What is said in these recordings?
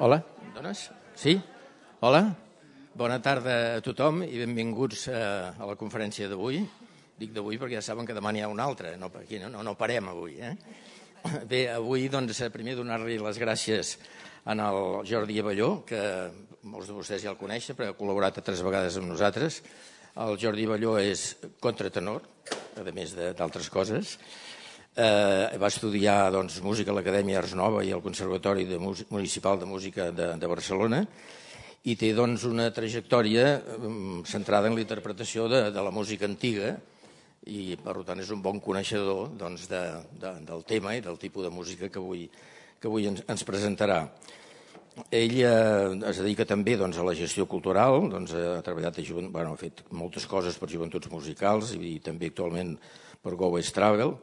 Hola, em dones? Sí? Hola? Bona tarda a tothom i benvinguts a la conferència d'avui. Dic d'avui perquè ja saben que demà n'hi ha una altra, aquí no parem avui. Bé, avui doncs primer donar-li les gràcies al Jordi Abelló, que molts de vostès ja el coneixen, però ha col·laborat 3 vegades amb nosaltres. El Jordi Abelló és contratenor, a més d'altres coses. Va estudiar música a l'Acadèmia Ars Nova i al Conservatori Municipal de Música de Barcelona i té una trajectòria centrada en la interpretació de la música antiga i per tant és un bon coneixedor del tema i del tipus de música que avui ens presentarà. Ell es dedica també a la gestió cultural, ha treballat, ha fet moltes coses per joventuts musicals i també actualment per Go West Travel.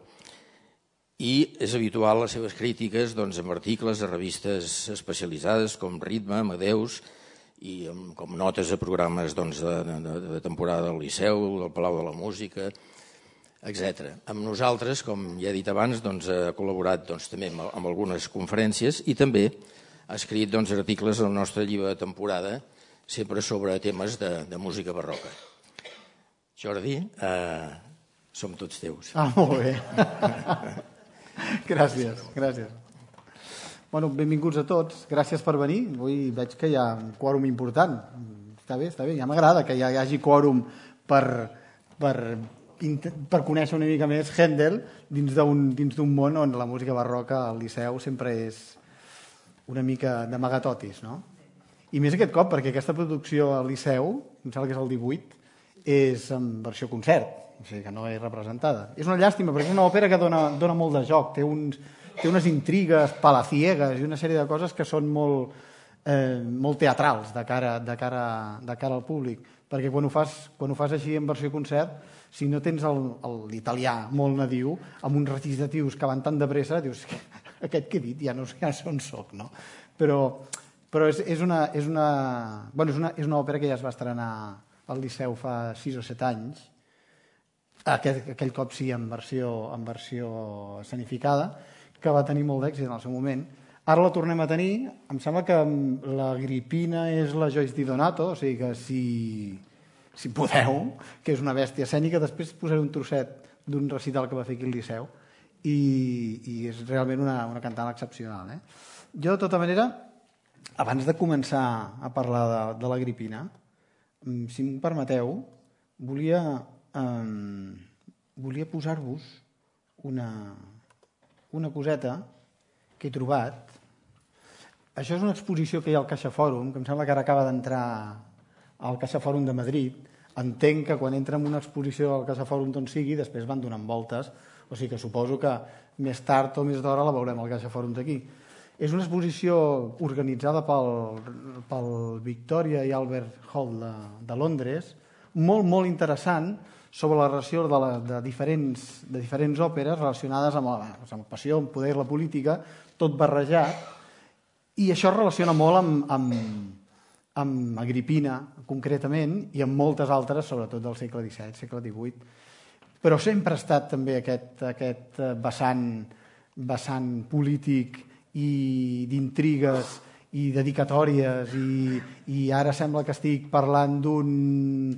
I és habitual les seves crítiques amb articles de revistes especialitzades com Ritme, Amadeus i com notes a programes de temporada del Liceu, del Palau de la Música, etc. Amb nosaltres, com ja he dit abans, ha col·laborat també amb algunes conferències i també ha escrit articles al nostre llibre de temporada, sempre sobre temes de música barroca. Jordi, som tots teus. Molt bé. Gràcies. Benvinguts a tots, gràcies per venir. Avui veig que hi ha un quòrum important. Està bé, ja m'agrada que hi hagi quòrum per conèixer una mica més Händel dins d'un món on la música barroca al Liceu sempre és una mica d'amagatotis, no? I més aquest cop, perquè aquesta producció al Liceu, em sembla que és el 18, és en versió concert, o sigui que no és representada. És una llàstima, perquè és una òpera que dona molt de joc, té unes intrigues palaciegues i una sèrie de coses que són molt teatrals de cara al públic, perquè quan ho fas així en versió concert, si no tens l'italià molt nadiu, amb uns recitatius que van tan de pressa, dius, aquest que he dit ja no sé on soc, no? Però és una òpera que ja es va estrenar al Liceu fa 6 o 7 anys, aquell cop sí en versió escenificada, que va tenir molt d'èxit en el seu moment. Ara la tornem a tenir, em sembla que l'Agripina és la Joyce Di Donato, o sigui que si podeu, que és una bèstia escènica, després posaré un trosset d'un recital que va fer aquí al Liceu i és realment una cantant excepcional. Jo, de tota manera, abans de començar a parlar de l'Agripina, si m'ho permeteu, volia posar-vos una coseta que he trobat. Això és una exposició que hi ha al CaixaFòrum, que em sembla que ara acaba d'entrar al CaixaFòrum de Madrid. Entenc que quan entra en una exposició al CaixaFòrum d'on sigui, després van donant voltes, o sigui que suposo que més tard o més d'hora la veurem al CaixaFòrum d'aquí. És una exposició organitzada pel Victoria i Albert Hall de Londres, molt, molt interessant, sobre la relació de diferents òperes relacionades amb la passió, amb poder, la política, tot barrejat, i això es relaciona molt amb Agripina, concretament, i amb moltes altres, sobretot del segle XVII, segle XVIII. Però sempre ha estat també aquest vessant polític i d'intrigues i dedicatòries, i ara sembla que estic parlant d'un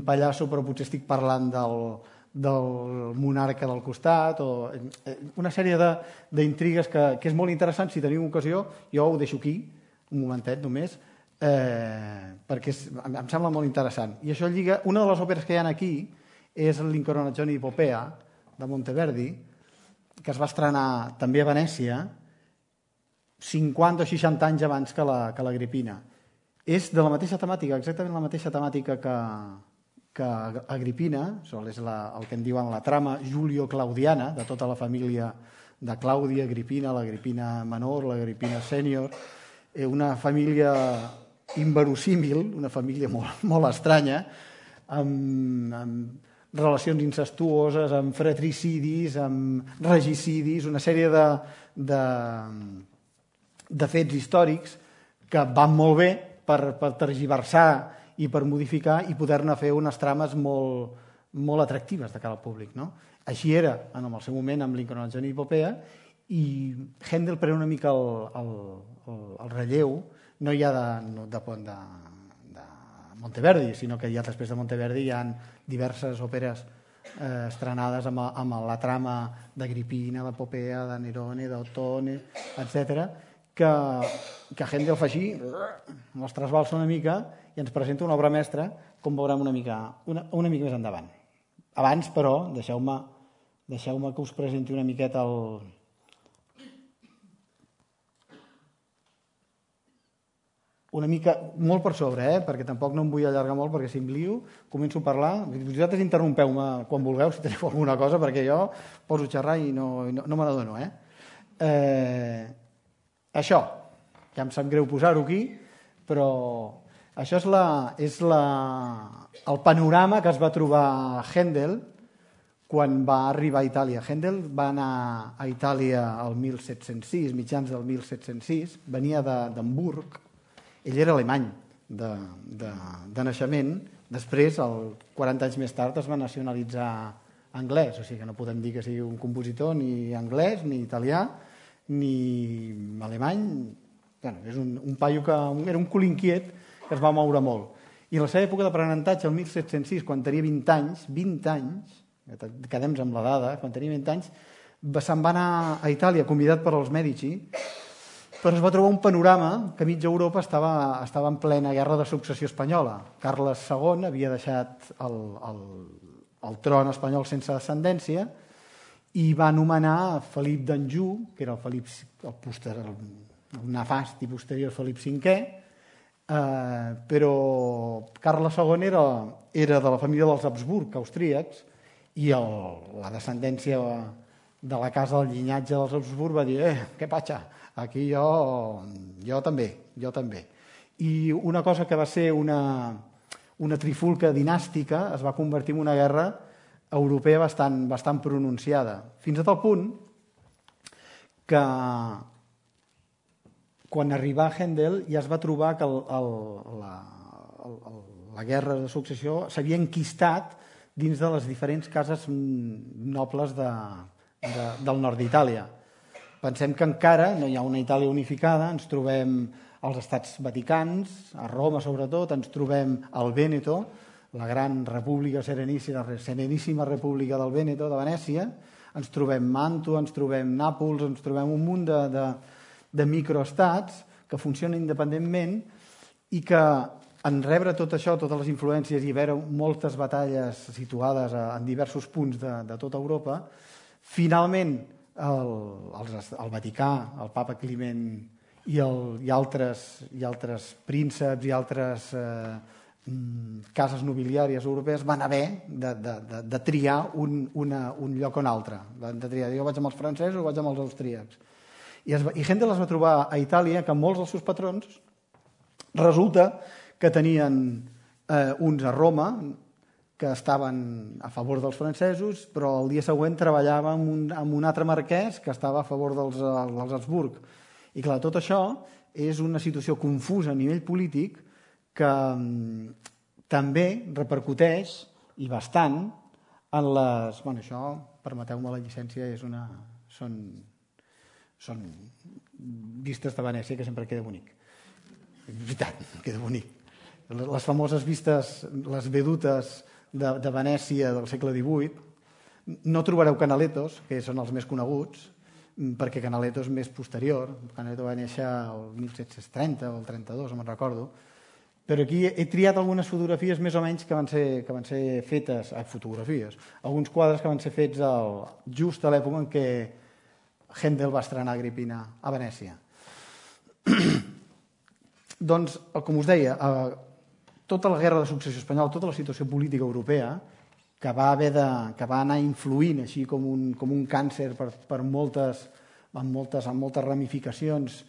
pallasso, però potser estic parlant del monarca del costat, o una sèrie d'intrigues que és molt interessant. Si teniu ocasió, jo ho deixo aquí, un momentet només, perquè em sembla molt interessant. I això lliga, una de les òperes que hi ha aquí és l'Incoronazione di Popea, de Monteverdi, que es va estrenar també a Venècia 50 o 60 anys abans que l'Agripina. És de la mateixa temàtica, exactament la mateixa temàtica que Agripina, és el que en diuen la trama Julio-Claudiana, de tota la família de Clàudia, Agripina, l'Agripina menor, l'Agripina sènior, una família inverosímil, una família molt, molt estranya, amb relacions incestuoses, amb fratricidis, amb regicidis, una sèrie de fets històrics que van molt bé per tergiversar i per modificar i poder-ne fer unes trames molt, molt atractives de cara al públic, no? Així era en el seu moment amb l'Incoronazione di Popea, i Händel pren una mica el relleu no hi ha de Monteverdi, sinó que ja després de Monteverdi hi ha diverses òperes estrenades amb la trama d'Agripina, d'Epopea, de Nerone, d'Ottone, etc., que Händel fa així, els trasbalsa una mica i ens presenta una obra mestra, com veurem una mica més endavant. Abans, però, deixeu-me que us presenti una miqueta una mica, molt per sobre, perquè tampoc no em vull allargar molt, perquè si em lio, començo a parlar. Vosaltres interrompeu-me quan vulgueu, si teniu alguna cosa, perquè jo poso a xerrar i no me n'adono. Això, ja em sap greu posar-ho aquí, però això és el panorama que es va trobar Händel quan va arribar a Itàlia. Händel va anar a Itàlia al 1706, mitjans del 1706, venia d'Hamburg. Ell era alemany de naixement, després, 40 anys més tard, es va nacionalitzar anglès, o sigui que no podem dir que sigui un compositor ni anglès, ni italià, ni alemany. Bueno, és un paio que era un cul inquiet que es va moure molt. I en la seva època d'aprenentatge, el 1706, quan tenia 20 anys, quedem amb la dada, quan tenia 20 anys, se'n va anar a Itàlia convidat per als Mèdici, però es va trobar un panorama que mitja Europa estava en plena guerra de successió espanyola. Carles II havia deixat el tron espanyol sense descendència i va nomenar Felip d'Anjou, que era el nefast i posterior Felip V, però Carles II era de la família dels Habsburg, austríacs, i la descendència de la casa del llinatge dels Habsburg va dir què patxa, aquí jo també. I una cosa que va ser una trifulca dinàstica es va convertir en una guerra europea bastant pronunciada, fins a tal punt que quan arribà Händel ja es va trobar que la guerra de successió s'havia enquistat dins de les diferents cases nobles del nord d'Itàlia. Pensem que encara no hi ha una Itàlia unificada, ens trobem als estats vaticans, a Roma sobretot, ens trobem al Vèneto, la gran república sereníssima república del Vèneto, de Venècia, ens trobem Màntua, ens trobem Nàpols, ens trobem un munt de microestats que funcionen independentment i que en rebre tot això, totes les influències i veure moltes batalles situades en diversos punts de tota Europa, finalment el Vaticà, el papa Climent i altres prínceps i altres cases nobiliàries europees van haver de triar un lloc o un altre. Van de triar, jo vaig amb els francesos o vaig amb els austríacs. I Händel es va trobar a Itàlia que molts dels seus patrons resulta que tenien uns a Roma que estaven a favor dels francesos, però el dia següent treballava amb un altre marquès que estava a favor dels Habsburg. I clar, tot això és una situació confusa a nivell polític que també repercuteix, i bastant, en les... Bueno, això, permeteu-me la llicència, són vistes de Venècia, que sempre queda bonic. És veritat, queda bonic. Les famoses vistes, les vedutes de Venècia del segle XVIII, no trobareu Canalettos, que són els més coneguts, perquè Canaletto és més posterior. Canaletto va néixer el 1730 o el 32, no me'n recordo. Però aquí he triat algunes fotografies més o menys que van ser fetes, fotografies, alguns quadres que van ser fets just a l'època en què Händel va estrenar Agripina a Venècia. Doncs, com us deia, tota la guerra de successió espanyola, tota la situació política europea, que va anar influint així com un càncer amb moltes ramificacions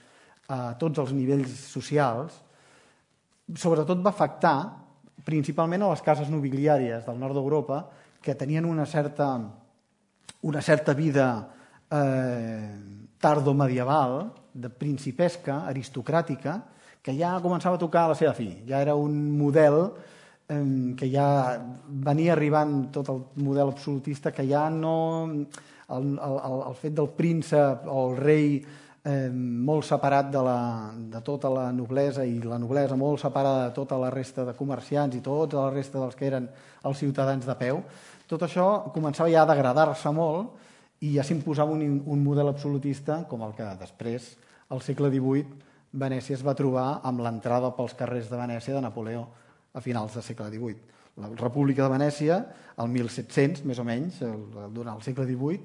a tots els nivells socials, sobretot va afectar principalment a les cases nobiliàries del nord d'Europa, que tenien una certa vida tardomedieval, de principesca, aristocràtica, que ja començava a tocar a la seva fi. Ja era un model que ja venia arribant tot el model absolutista, que ja no... El fet del príncep o el rei molt separat de tota la noblesa, i la noblesa molt separada de tota la resta de comerciants i tota la resta dels que eren els ciutadans de peu. Tot això començava ja a degradar-se molt i ja s'imposava un model absolutista com el que després, al segle XVIII, Venècia es va trobar amb l'entrada pels carrers de Venècia de Napoleó a finals del segle XVIII. La República de Venècia, el 1700, més o menys, durant el segle XVIII,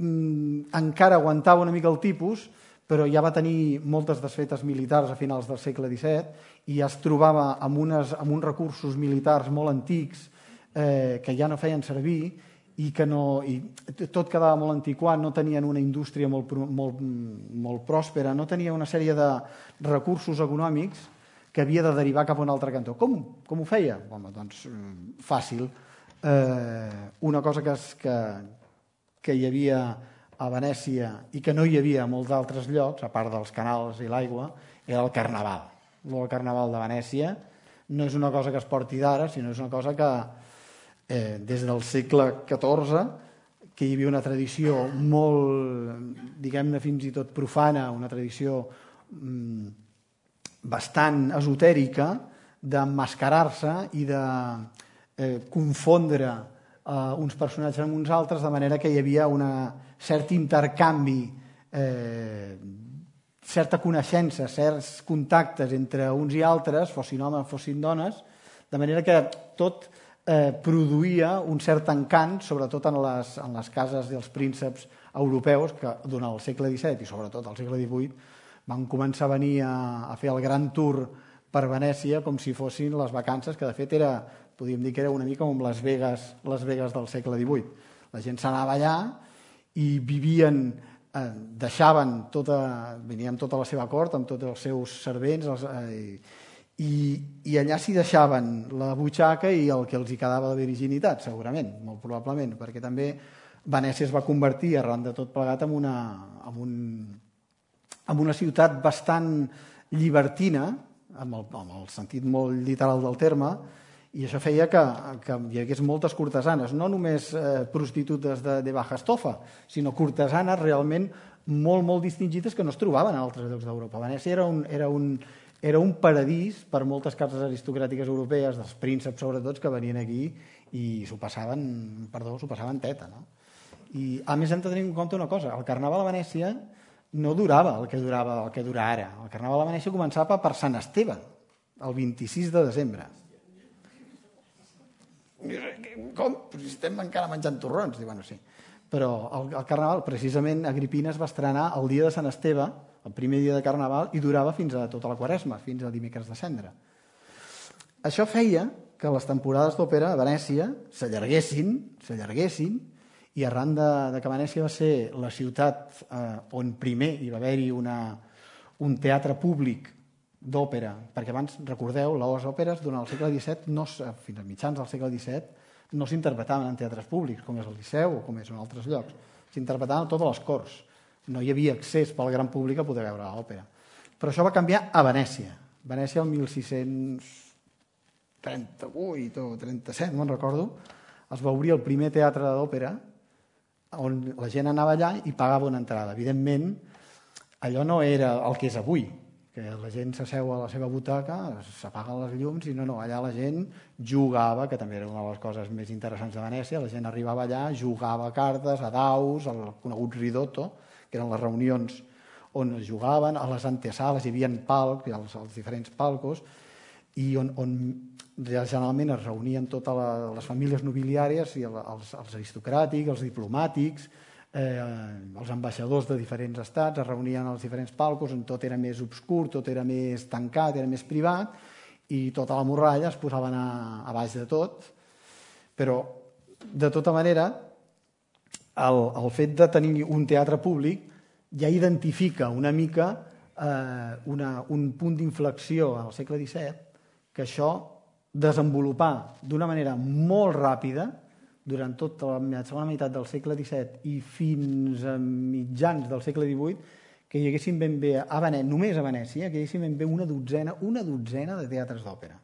encara aguantava una mica el tipus, però ja va tenir moltes desfetes militars a finals del segle XVII i ja es trobava amb uns recursos militars molt antics que ja no feien servir i tot quedava molt antiquat, no tenien una indústria molt pròspera, no tenia una sèrie de recursos econòmics que havia de derivar cap a un altre cantó. Com ho feia? Home, doncs fàcil. Una cosa que hi havia a Venècia i que no hi havia a molts altres llocs, a part dels canals i l'aigua, era el carnaval. El carnaval de Venècia no és una cosa que es porti d'ara, sinó és una cosa que des del segle XIV, que hi havia una tradició molt, diguem-ne, fins i tot profana, una tradició bastant esotèrica d'emmascarar-se i de confondre uns personatges amb uns altres, de manera que hi havia un cert intercanvi, certa coneixença, certs contactes entre uns i altres, fossin homes, fossin dones, de manera que tot produïa un cert encant, sobretot en les cases dels prínceps europeus que durant el segle XVII i sobretot al segle XVIII van començar a venir a fer el gran tour per Venècia com si fossin les vacances, que de fet podríem dir que era una mica com les Vegas del segle XVIII. La gent s'anava allà i vivien, venien amb tota la seva cort, amb tots els seus servents, i allà s'hi deixaven la butxaca i el que els hi quedava de virginitat, segurament, molt probablement, perquè també Venècia es va convertir, arran de tot plegat, en una ciutat bastant llibertina, amb el sentit molt literal del terme, i això feia que hi hagués moltes cortesanes, no només prostitutes de baja estofa, sinó cortesanes realment molt, molt distingides que no es trobaven en altres llocs d'Europa. Venècia era un paradís per moltes cases aristocràtiques europees, dels prínceps sobretot, que venien aquí i s'ho passaven teta. No? I a més hem de tenir en compte una cosa, el Carnaval a Venècia no durava el que dura ara. El Carnaval a Venècia començava per Sant Esteve, el 26 de desembre. Com? Si estem encara menjant torrons. Bueno, sí. Però el Carnaval, precisament, Agripina es va estrenar el dia de Sant Esteve, el primer dia de Carnaval, i durava fins a tota la Quaresma, fins a dimecres de Cendra. Això feia que les temporades d'òpera a Venècia s'allarguessin, i arran de que Venècia va ser la ciutat on primer hi va haver-hi un teatre públic d'òpera, perquè abans, recordeu, les òperes durant el segle XVII, fins a mitjans del segle XVII, no s'interpretaven en teatres públics, com és el Liceu o com és en altres llocs. S'interpretaven a totes les corts. No hi havia accés pel gran públic a poder veure l'òpera. Però això va canviar a Venècia. Venècia, el 1638 o 37, no me'n recordo, es va obrir el primer teatre d'òpera on la gent anava allà i pagava una entrada. Evidentment, allò no era el que és avui, que la gent s'asseu a la seva butaca, s'apaguen les llums i no, allà la gent jugava, que també era una de les coses més interessants de Venècia, la gent arribava allà, jugava a cartes, a daus, al conegut ridotto, que eren les reunions on es jugaven, a les antesales hi havia palcs, els diferents palcos, i on generalment es reunien totes les famílies nobiliàries, i els aristocràtics, els diplomàtics, els ambaixadors de diferents estats es reunien als diferents palcos on tot era més obscur, tot era més tancat, era més privat, i tota la morralla es posaven a baix de tot. Però, de tota manera, el fet de tenir un teatre públic ja identifica una mica un punt d'inflexió al segle XVII, que això desenvolupar d'una manera molt ràpida durant tota la segona meitat del segle XVII i fins a mitjans del segle XVIII, que hi haguessin ben bé només a Venècia, que hi haguessin ben bé una dotzena de teatres d'òpera.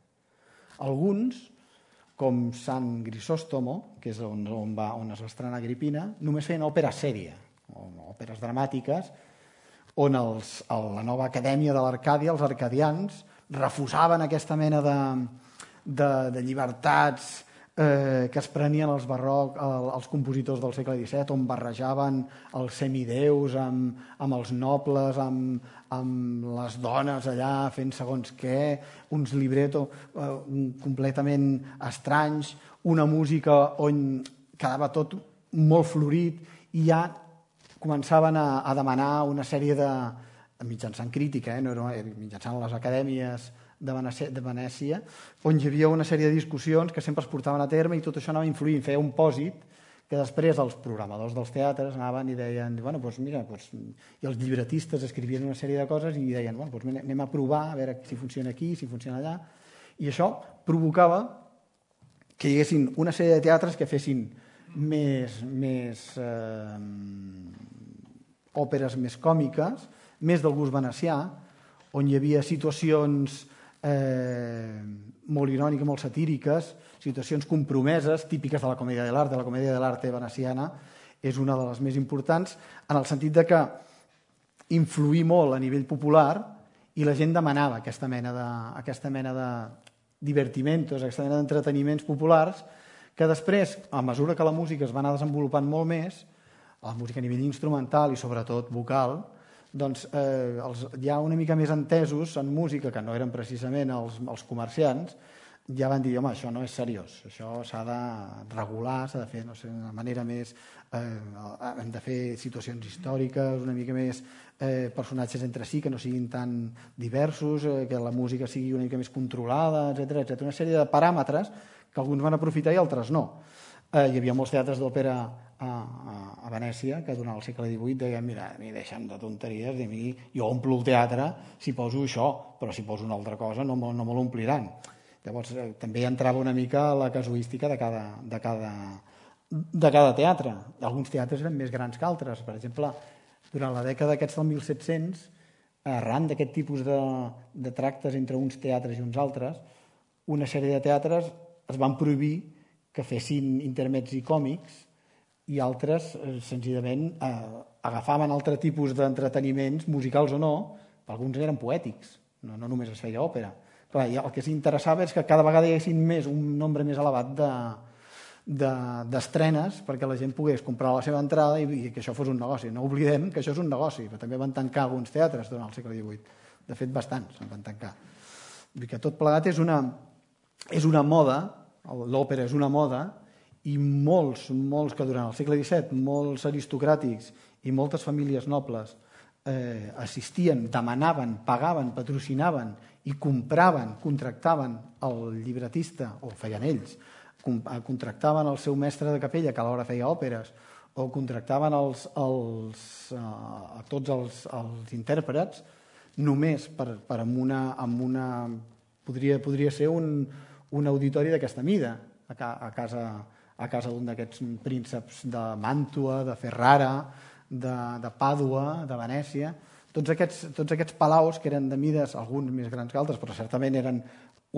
Alguns, com Sant Grisòstomo, que és on es va estrenar Agripina, només feien òpera sèria, o òperes dramàtiques, on la nova acadèmia de l'Arcàdia, els arcadians, refusaven aquesta mena de llibertats que es prenien els compositors del segle XVII, on barrejaven els semideus amb els nobles, amb les dones allà fent segons què, uns libretos completament estranys, una música on quedava tot molt florit, i ja començaven a demanar una sèrie mitjançant crítica, mitjançant les acadèmies de Venècia, on hi havia una sèrie de discussions que sempre es portaven a terme, i tot això anava influint, feia un pòsit que després els programadors dels teatres anaven i deien, bueno, doncs mira, i els llibretistes escrivien una sèrie de coses i deien, bueno, doncs anem a provar a veure si funciona aquí, si funciona allà, i això provocava que hi haguessin una sèrie de teatres que fessin més òperes més còmiques, més del gust venecià, on hi havia situacions molt iròniques, molt satíriques, situacions compromeses, típiques de la comèdia de l'arte. La comèdia de l'arte veneciana és una de les més importants, en el sentit de que influí molt a nivell popular i la gent demanava aquesta mena de divertimentos, aquesta mena d'entreteniments populars, que després, a mesura que la música es va anar desenvolupant molt més, la música a nivell instrumental i sobretot vocal, doncs ja una mica més entesos en música, que no eren precisament els comerciants, ja van dir, home, això no és seriós, això s'ha de regular, s'ha de fer d'una manera més... hem de fer situacions històriques, una mica més personatges entre si, que no siguin tan diversos, que la música sigui una mica més controlada, etc. Una sèrie de paràmetres que alguns van aprofitar i altres no. Hi havia molts teatres d'òpera a Venècia que durant el segle XVIII deien, mira, a mi deixa'm de tonteries, jo omplo el teatre si poso això, però si poso una altra cosa no me l'ompliran. Llavors també entrava una mica la casuística de cada teatre. Alguns teatres eren més grans que altres. Per exemple, durant la dècada aquests del 1700, arran d'aquest tipus de tractes entre uns teatres i uns altres, una sèrie de teatres es van prohibir que fessin intermets i còmics, i altres senzillament agafaven altre tipus d'entreteniments, musicals o no, alguns eren poètics, no només es feia òpera. Clar, el que s'interessava és que cada vegada hi haguessin un nombre més elevat d'estrenes perquè la gent pogués comprar la seva entrada i que això fos un negoci. No oblidem que això és un negoci, però també van tancar alguns teatres durant el segle XVIII. De fet, bastants en van tancar. Vull dir que tot plegat és una moda, l'òpera és una moda, i molts que durant el segle XVII, molts aristocràtics i moltes famílies nobles assistien, demanaven, pagaven, patrocinaven i compraven, contractaven el llibretista, o feien ells, contractaven el seu mestre de capella, que alhora feia òperes, o contractaven a tots els intèrprets, només per amb una podria ser un auditori d'aquesta mida, a casa d'un d'aquests prínceps de Màntua, de Ferrara, de Pàdua, de Venècia. Tots aquests palaus, que eren de mides, alguns més grans que altres, però certament eren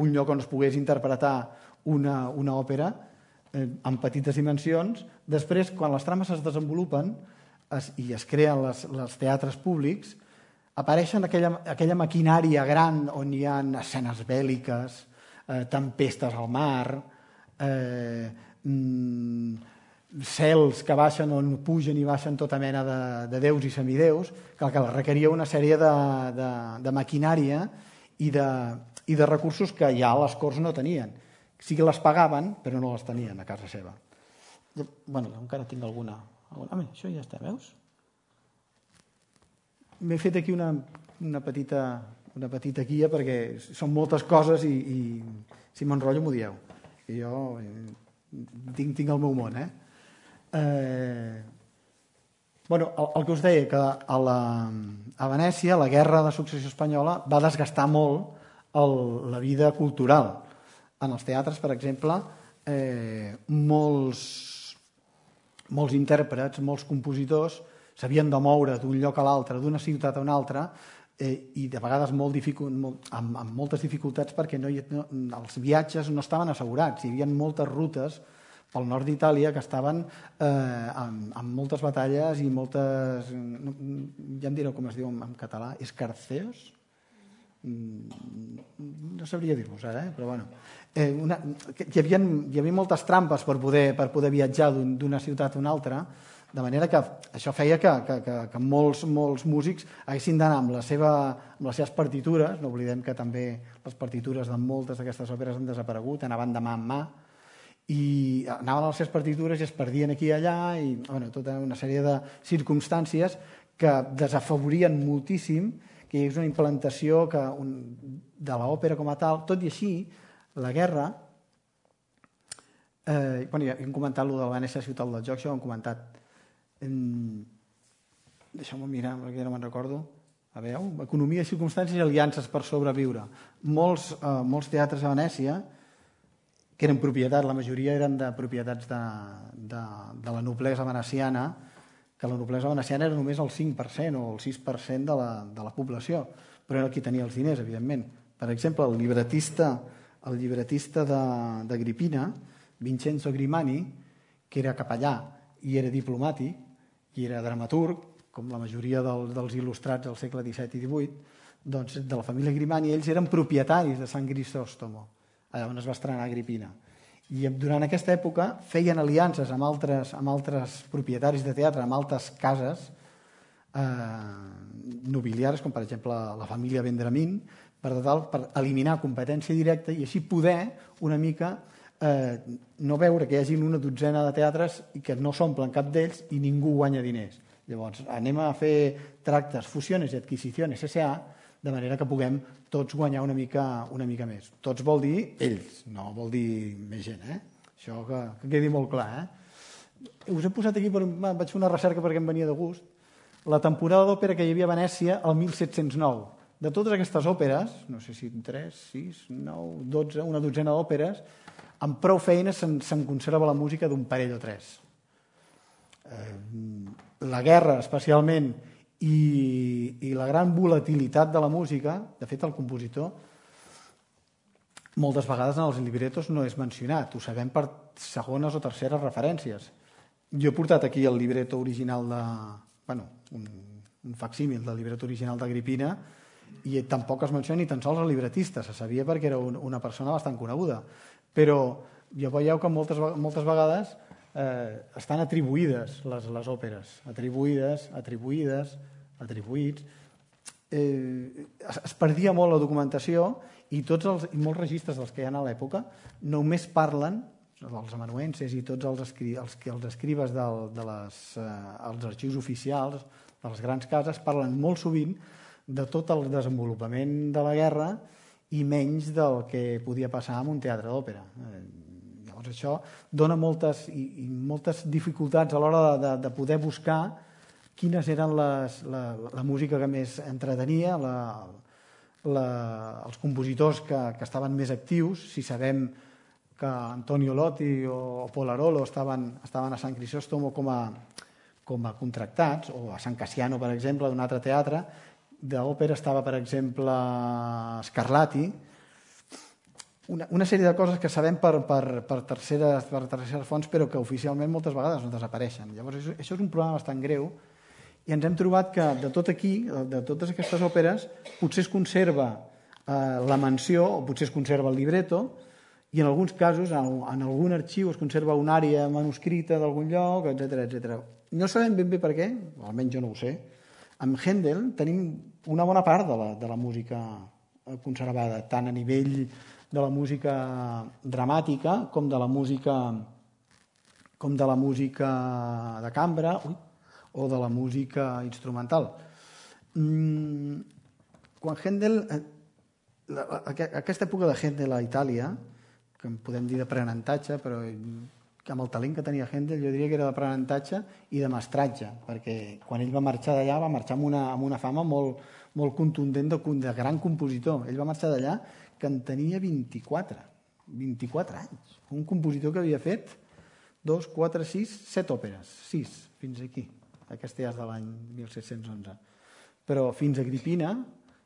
un lloc on es pogués interpretar una òpera en petites dimensions. Després, quan les trames es desenvolupen i es creen els teatres públics, apareixen aquella maquinària gran on hi ha escenes bèl·liques, tempestes al mar, cels que baixen on pugen i baixen tota mena de déus i semideus, que requeria una sèrie de maquinària i de recursos que ja les corts no tenien. Sí que les pagaven, però no les tenien a casa seva. Bueno, encara tinc alguna... Això ja està, veus? M'he fet aquí una petita guia perquè són moltes coses i si m'enrotllo m'ho dieu. Jo tinc el meu món, el que us deia, que a Venècia la guerra de successió espanyola va desgastar molt la vida cultural. En els teatres, per exemple, molts intèrprets, molts compositors s'havien de moure d'un lloc a l'altre, d'una ciutat a una altra, i de vegades amb moltes dificultats perquè els viatges no estaven assegurats. Hi havia moltes rutes pel nord d'Itàlia que estaven amb moltes batalles i moltes... Ja em direu com es diu en català, escarceos? No sabria dir-vos ara, però bueno. Hi havia moltes trampes per poder viatjar d'una ciutat a una altra, de manera que això feia que molts músics haguessin d'anar amb les seves partitures. No oblidem que també les partitures de moltes d'aquestes òperes han desaparegut, anaven de mà en mà, i anaven a les seves partitures i es perdien aquí i allà, i tota una sèrie de circumstàncies que desafavorien moltíssim que hi hagués una implantació de l'òpera com a tal. Tot i així, la guerra... Ja hem comentat allò de la Venècia ciutat del joc, això ho hem comentat. Deixeu-me mirar, perquè no me'n recordo. A veure, economia, circumstàncies i aliances per sobreviure. Molts teatres a Venècia, que eren propietats, la majoria eren de propietats de la noblesa veneciana, que la noblesa veneciana era només el 5% o el 6% de la població, però era qui tenia els diners, evidentment. Per exemple, el llibretista d'Agripina, Vincenzo Grimani, que era capellà i era diplomàtic, i era dramaturg, com la majoria dels il·lustrats del segle XVII i XVIII, doncs de la família Grimani, ells eren propietaris de San Crisòstomo, allà on es va estrenar Agripina. I durant aquesta època feien aliances amb altres propietaris de teatre, amb altres cases nobiliares, com per exemple la família Vendramin, per eliminar competència directa i així poder una mica no veure que hi hagi una dotzena de teatres i que no s'omplen cap d'ells i ningú guanya diners. Llavors, anem a fer tractes, fusiones i adquisicions S.A., de manera que puguem tots guanyar una mica més. Tots vol dir ells, no vol dir més gent. Això que quedi molt clar. Us he posat aquí, vaig fer una recerca perquè em venia de gust, la temporada d'òpera que hi havia a Venècia el 1709. De totes aquestes òperes, no sé si 3, 6, 9, 12, una dotzena d'òperes, amb prou feines se'n conserva la música d'un parell o tres. La guerra, especialment, i la gran volatilitat de la música, de fet, el compositor, moltes vegades en els libretos no és mencionat, ho sabem per segones o terceres referències. Jo he portat aquí el libreto original un facsímil del libreto original d'Agripina, i tampoc es menciona ni tan sols el libretista, se sabia perquè era una persona bastant coneguda. Però ja veieu que moltes vegades estan atribuïdes les òperes, atribuïts. Es perdia molt la documentació i molts registres dels que hi ha a l'època només parlen, els amanuenses i tots els escribes dels arxius oficials de les grans cases, parlen molt sovint de tot el desenvolupament de la guerra i menys del que podia passar en un teatre d'òpera. Llavors això dona moltes dificultats a l'hora de poder buscar quines eren la música que més entretenia, els compositors que estaven més actius. Si sabem que Antonio Lotti o Polarolo estaven a San Crisòstomo com a contractats, o a San Cassiano, per exemple, d'un altre teatre, d'òpera estava, per exemple, Scarlatti, una sèrie de coses que sabem per terceres fonts, però que oficialment moltes vegades no desapareixen. Llavors, això és un problema bastant greu, i ens hem trobat que de tot aquí, de totes aquestes òperes, potser es conserva la menció, o potser es conserva el libretto, i en alguns casos, en algun arxiu, es conserva una àrea manuscrita d'algun lloc, etc. No sabem ben bé per què, almenys jo no ho sé. Amb Händel tenim una bona part de la música conservada, tant a nivell de la música dramàtica com de la música de cambra o de la música instrumental. Quan Händel, aquesta època de Händel a Itàlia, que en podem dir d'aprenentatge, però amb el talent que tenia Händel jo diria que era d'aprenentatge i de mestratge, perquè quan ell va marxar d'allà va marxar amb una fama molt contundent de gran compositor. Ell va marxar d'allà que en tenia 24 anys. Un compositor que havia fet 2, 4, 6, 7 òperes, 6 fins aquí. Aquesta ja és de l'any 1711. Però fins a Agripina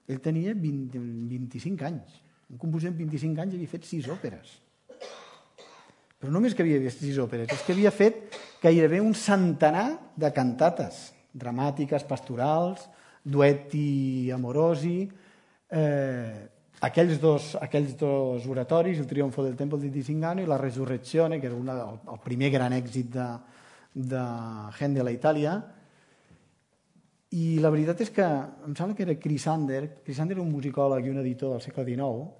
ell tenia 25 anys. Un compositor amb 25 anys havia fet 6 òperes. però no només que havia vist 6 òperes, és que havia fet gairebé un centenar de cantates dramàtiques, pastorals, duetti amorosi, aquells dos oratoris, il Trionfo del Tempo di Tisingano i la Resurrezione, que era el primer gran èxit de Händel a Itàlia. I la veritat és que em sembla que era Chrysander era un musicòleg i un editor del segle XIX,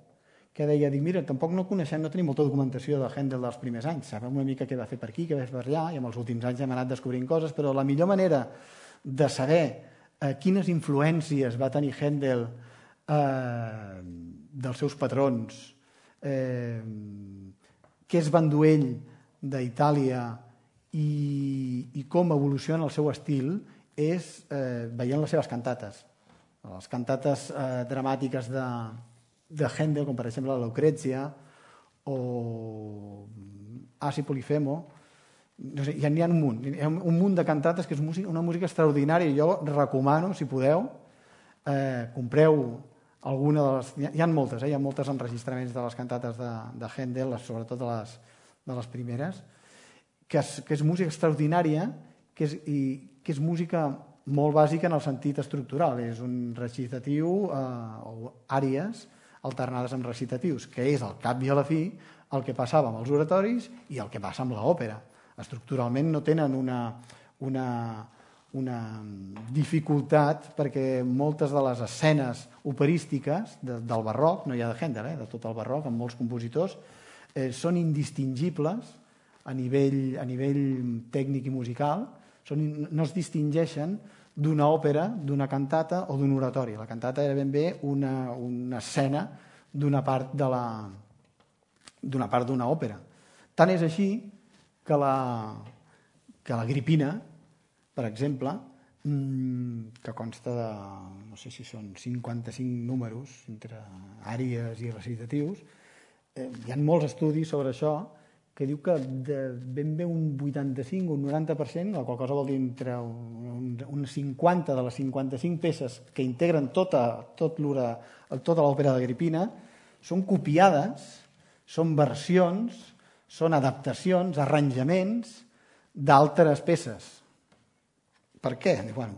que deia, mira, tampoc no coneixem, no tenim molta documentació de Händel dels primers anys, sabem una mica què va fer per aquí, què va fer per allà, i en els últims anys hem anat descobrint coses, però la millor manera de saber quines influències va tenir Händel dels seus patrons, què es va endur ell d'Itàlia i com evoluciona el seu estil és veient les seves cantates. Les cantates dramàtiques de Händel, com per exemple la Lucrezia o Asi Polifemo, no sé, n'hi ha un munt. Hi ha un munt de cantates que és una música extraordinària i jo recomano, si podeu, compreu alguna de les... Hi ha moltes, hi ha moltes enregistraments de les cantates de Händel, sobretot de les primeres, que és música extraordinària i que és música molt bàsica en el sentit estructural. És un recitatiu o àries alternades amb recitatius, que és al cap i a la fi el que passava amb els oratoris i el que passa amb l'òpera. Estructuralment no tenen una dificultat perquè moltes de les escenes operístiques del barroc, no hi ha de Händel, de tot el barroc, amb molts compositors, són indistingibles a nivell tècnic i musical, no es distingeixen d'una òpera, d'una cantata o d'un oratori. La cantata era ben bé una escena d'una part d'una òpera. Tant és així que l'Agripina, per exemple, que consta de, no sé si són 55 números entre àries i recitatius, hi ha molts estudis sobre això que diu que ben bé un 85 o un 90%, la qual cosa vol dir entre un 50 de les 55 peces que integren tota l'òpera d'Agripina, són copiades, són versions, són adaptacions, arranjaments d'altres peces. Per què? Bueno,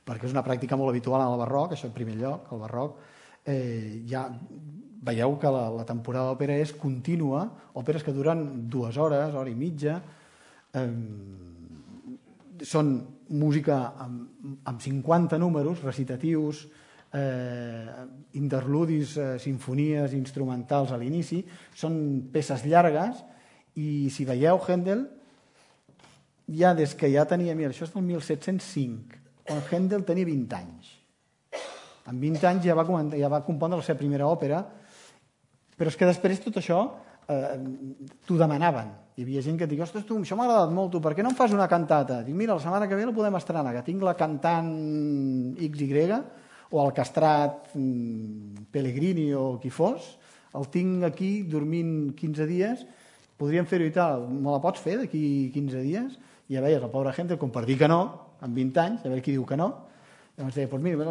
perquè és una pràctica molt habitual en el barroc, això en primer lloc, el barroc ja veieu que la temporada d'òpera és contínua, òperes que duren 2 hores, hora i mitja, són música amb 50 números, recitatius, interludis, sinfonies instrumentals a l'inici, són peces llargues i si veieu Händel, ja des que ja tenia, mira, això és del 1705, quan Händel tenia 20 anys. Amb 20 anys ja va compondre la seva primera òpera, però és que després tot això t'ho demanaven. Hi havia gent que et diu, ostres, tu, això m'ha agradat molt, tu, per què no em fas una cantata? Dic, mira, la setmana que ve la podem estrenar, que tinc la cantant XY, o el castrat Pellegrini o qui fos, el tinc aquí dormint 15 dies, podríem fer-ho i tal, me la pots fer d'aquí 15 dies? I ja veies la pobra gent com per dir que no, amb 20 anys, a veure qui diu que no. Llavors deia, doncs mira,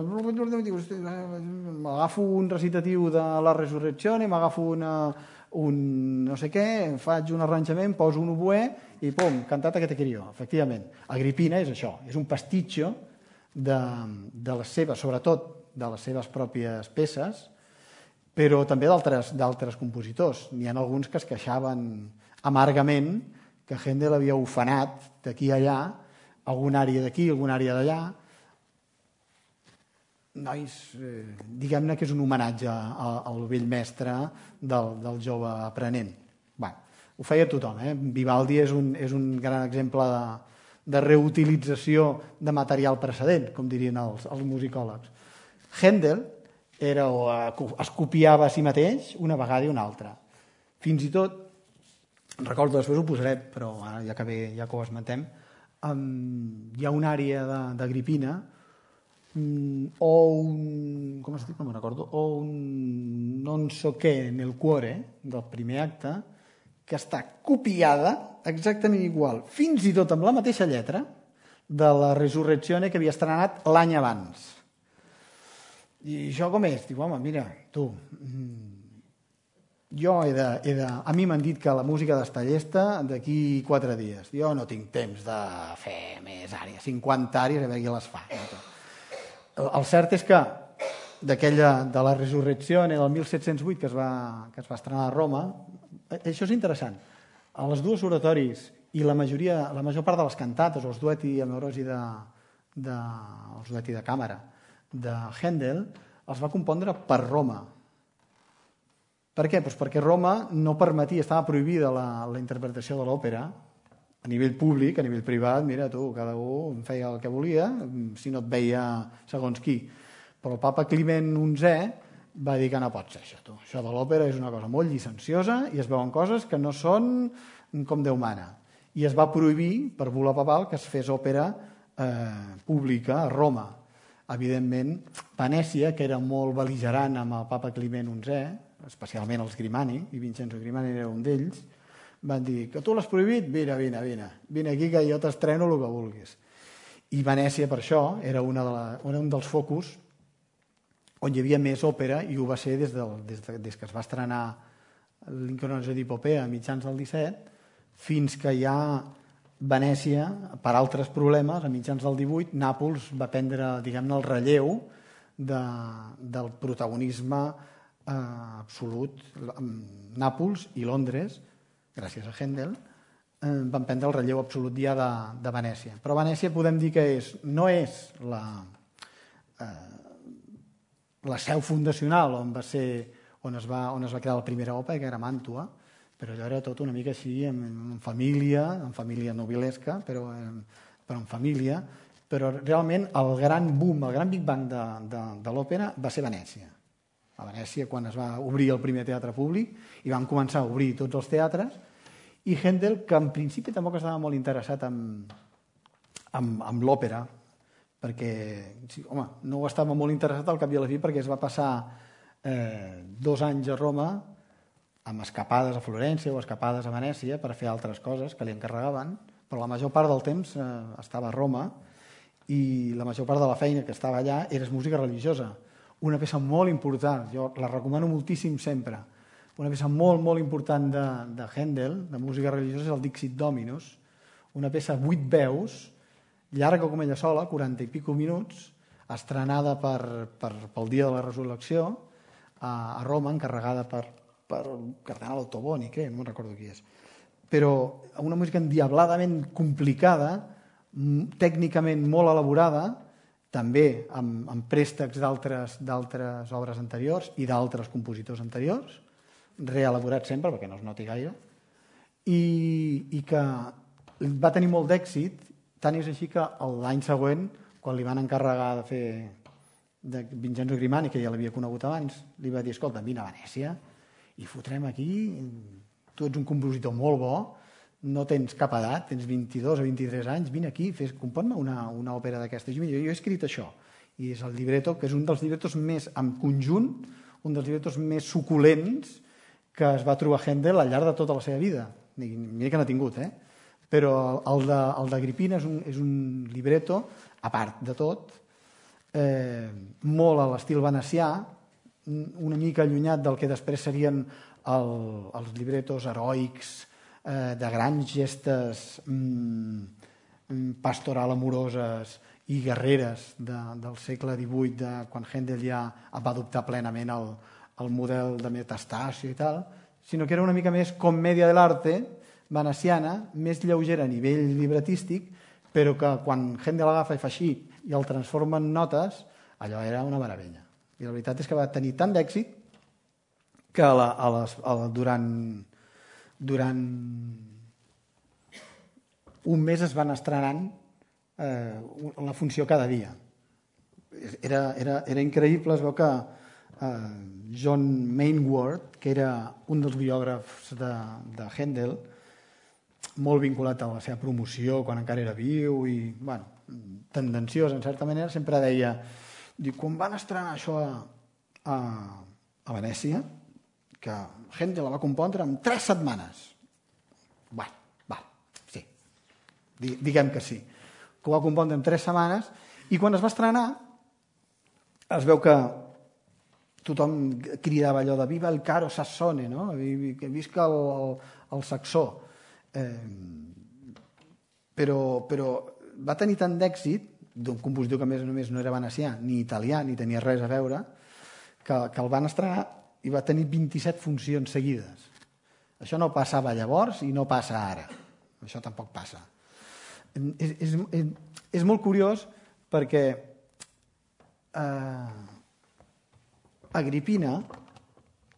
m'agafo un recitatiu de la Resurrezione, m'agafo un no sé què, faig un arranjament, poso un oboè i pum, cantata que te querio. Efectivament, Agripina és això, és un pastitxo de les seves, sobretot de les seves pròpies peces, però també d'altres compositors. N'hi ha alguns que es queixaven amargament que Händel havia ufanat d'aquí a allà, alguna àrea d'aquí, alguna àrea d'allà. Nois, diguem-ne que és un homenatge al vell mestre del jove aprenent. Bé, ho feia tothom. Vivaldi és un gran exemple de reutilització de material precedent, com dirien els musicòlegs. Händel es copiava a si mateix una vegada i una altra. Fins i tot, recordo, després ho posaré, però ara ja que ho esmentem, hi ha una àrea d'Agripina o un, com es diu, no me'n recordo, o un non so què nel cuore del primer acte, que està copiada exactament igual, fins i tot amb la mateixa lletra de la Resurrezione que havia estrenat l'any abans. I això com és? Diu, home, mira, tu, a mi m'han dit que la música d'estar llesta d'aquí 4 dies. Jo no tinc temps de fer més àrees, 50 àrees, a veure qui les fa. El cert és que de la Resurrezione del 1708 que es va estrenar a Roma, això és interessant. A les dues oratoris i la major part de les cantates, els duetti amorosi els duetti de càmera de Händel, els va compondre per Roma. Per què? Doncs perquè Roma no permetia, estava prohibida la interpretació de l'òpera a nivell públic, a nivell privat, mira tu, cada un feia el que volia, si no et veia segons qui. Però el papa Climent XI va dir que no pot ser això, tu. Això de l'òpera és una cosa molt llicenciosa i es veuen coses que no són com Déu mana. I es va prohibir, per bula papal, que es fes òpera pública a Roma. Evidentment, Venècia, que era molt bel·ligerant amb el papa Climent XI, especialment els Grimani, i Vincenzo Grimani era un d'ells, van dir que tu l'has prohibit? Vine aquí que jo t'estreno el que vulguis. I Venècia, per això, era un dels focus on hi havia més òpera, i ho va ser des que es va estrenar l'Incoronació d'Hipopea a mitjans del 17, fins que ja Venècia, per altres problemes, a mitjans del 18, Nàpols va prendre, diguem-ne, el relleu del protagonisme absolut. Nàpols i Londres, gràcies a Händel, van prendre el relleu absolut ja de Venècia. Però Venècia podem dir que no és la seu fundacional on es va crear la primera òpera, que era Màntua, però allò era tot una mica així, en família nobilesca, però en família. Però realment el gran boom, el gran Big Bang de l'òpera va ser Venècia. A Venècia, quan es va obrir el primer teatre públic, i van començar a obrir tots els teatres, i Händel, que en principi tampoc estava molt interessat en l'òpera, perquè, home, no ho estava molt interessat al cap i a la fi, perquè es va passar 2 anys a Roma amb escapades a Florència o escapades a Venècia per fer altres coses que li encarregaven, però la major part del temps estava a Roma i la major part de la feina que estava allà era música religiosa. Una peça molt important, jo la recomano moltíssim sempre, una peça molt, molt important de Händel, de música religiosa, és el Dixit Dominus, una peça 8 veus, llarga com ella sola, 40 i pico minuts, estrenada pel dia de la Resurrecció a Roma, encarregada per el cardenal Ottoboni, crec, no me'n recordo qui és. Però una música endiabladament complicada, tècnicament molt elaborada, també amb préstecs d'altres obres anteriors i d'altres compositors anteriors, reelaborat sempre perquè no es noti gaire, i que va tenir molt d'èxit, tant és així que l'any següent, quan li van encarregar de fer de Vincenzo Grimani, que ja l'havia conegut abans, li va dir, escolta, vine a Venècia i fotrem aquí, tu ets un compositor molt bo, no tens cap edat, tens 22 o 23 anys, vine aquí, compon-me una òpera d'aquesta. Jo he escrit això, i és el libretto, que és un dels librettos més, en conjunt, un dels librettos més suculents que es va trobar Händel al llarg de tota la seva vida. Mira que n'ha tingut, però el d'Agripina és un libretto, a part de tot, molt a l'estil venecià, una mica allunyat del que després serien els libretos heroics de grans gestes pastoral amoroses i guerreres del segle XVIII, quan Händel ja va adoptar plenament el model de Metastasio i tal, sinó que era una mica més commèdia dell'arte veneciana, més lleugera a nivell libretístic, però que quan Händel l'agafa i fa així i el transforma en notes, allò era una meravella. I la veritat és que va tenir tant d'èxit que durant un mes es van estrenant la funció cada dia. Era increïble, es veu que John Mainward, que era un dels biògrafs de Händel, molt vinculat a la seva promoció quan encara era viu i tendenciós en certa manera, sempre deia, quan van estrenar això a Venècia, que Händel la va compondre en 3 setmanes. Sí, diguem que sí. Que ho va compondre en 3 setmanes, i quan es va estrenar es veu que tothom cridava allò de viva el caro sassone, no? Que visca el saxó. Però va tenir tant d'èxit, d'un compositor que a més només no era venecià, ni italià, ni tenia res a veure, que el van estrenar i va tenir 27 funcions seguides. Això no passava llavors i no passa ara. Això tampoc passa. És molt curiós perquè Agripina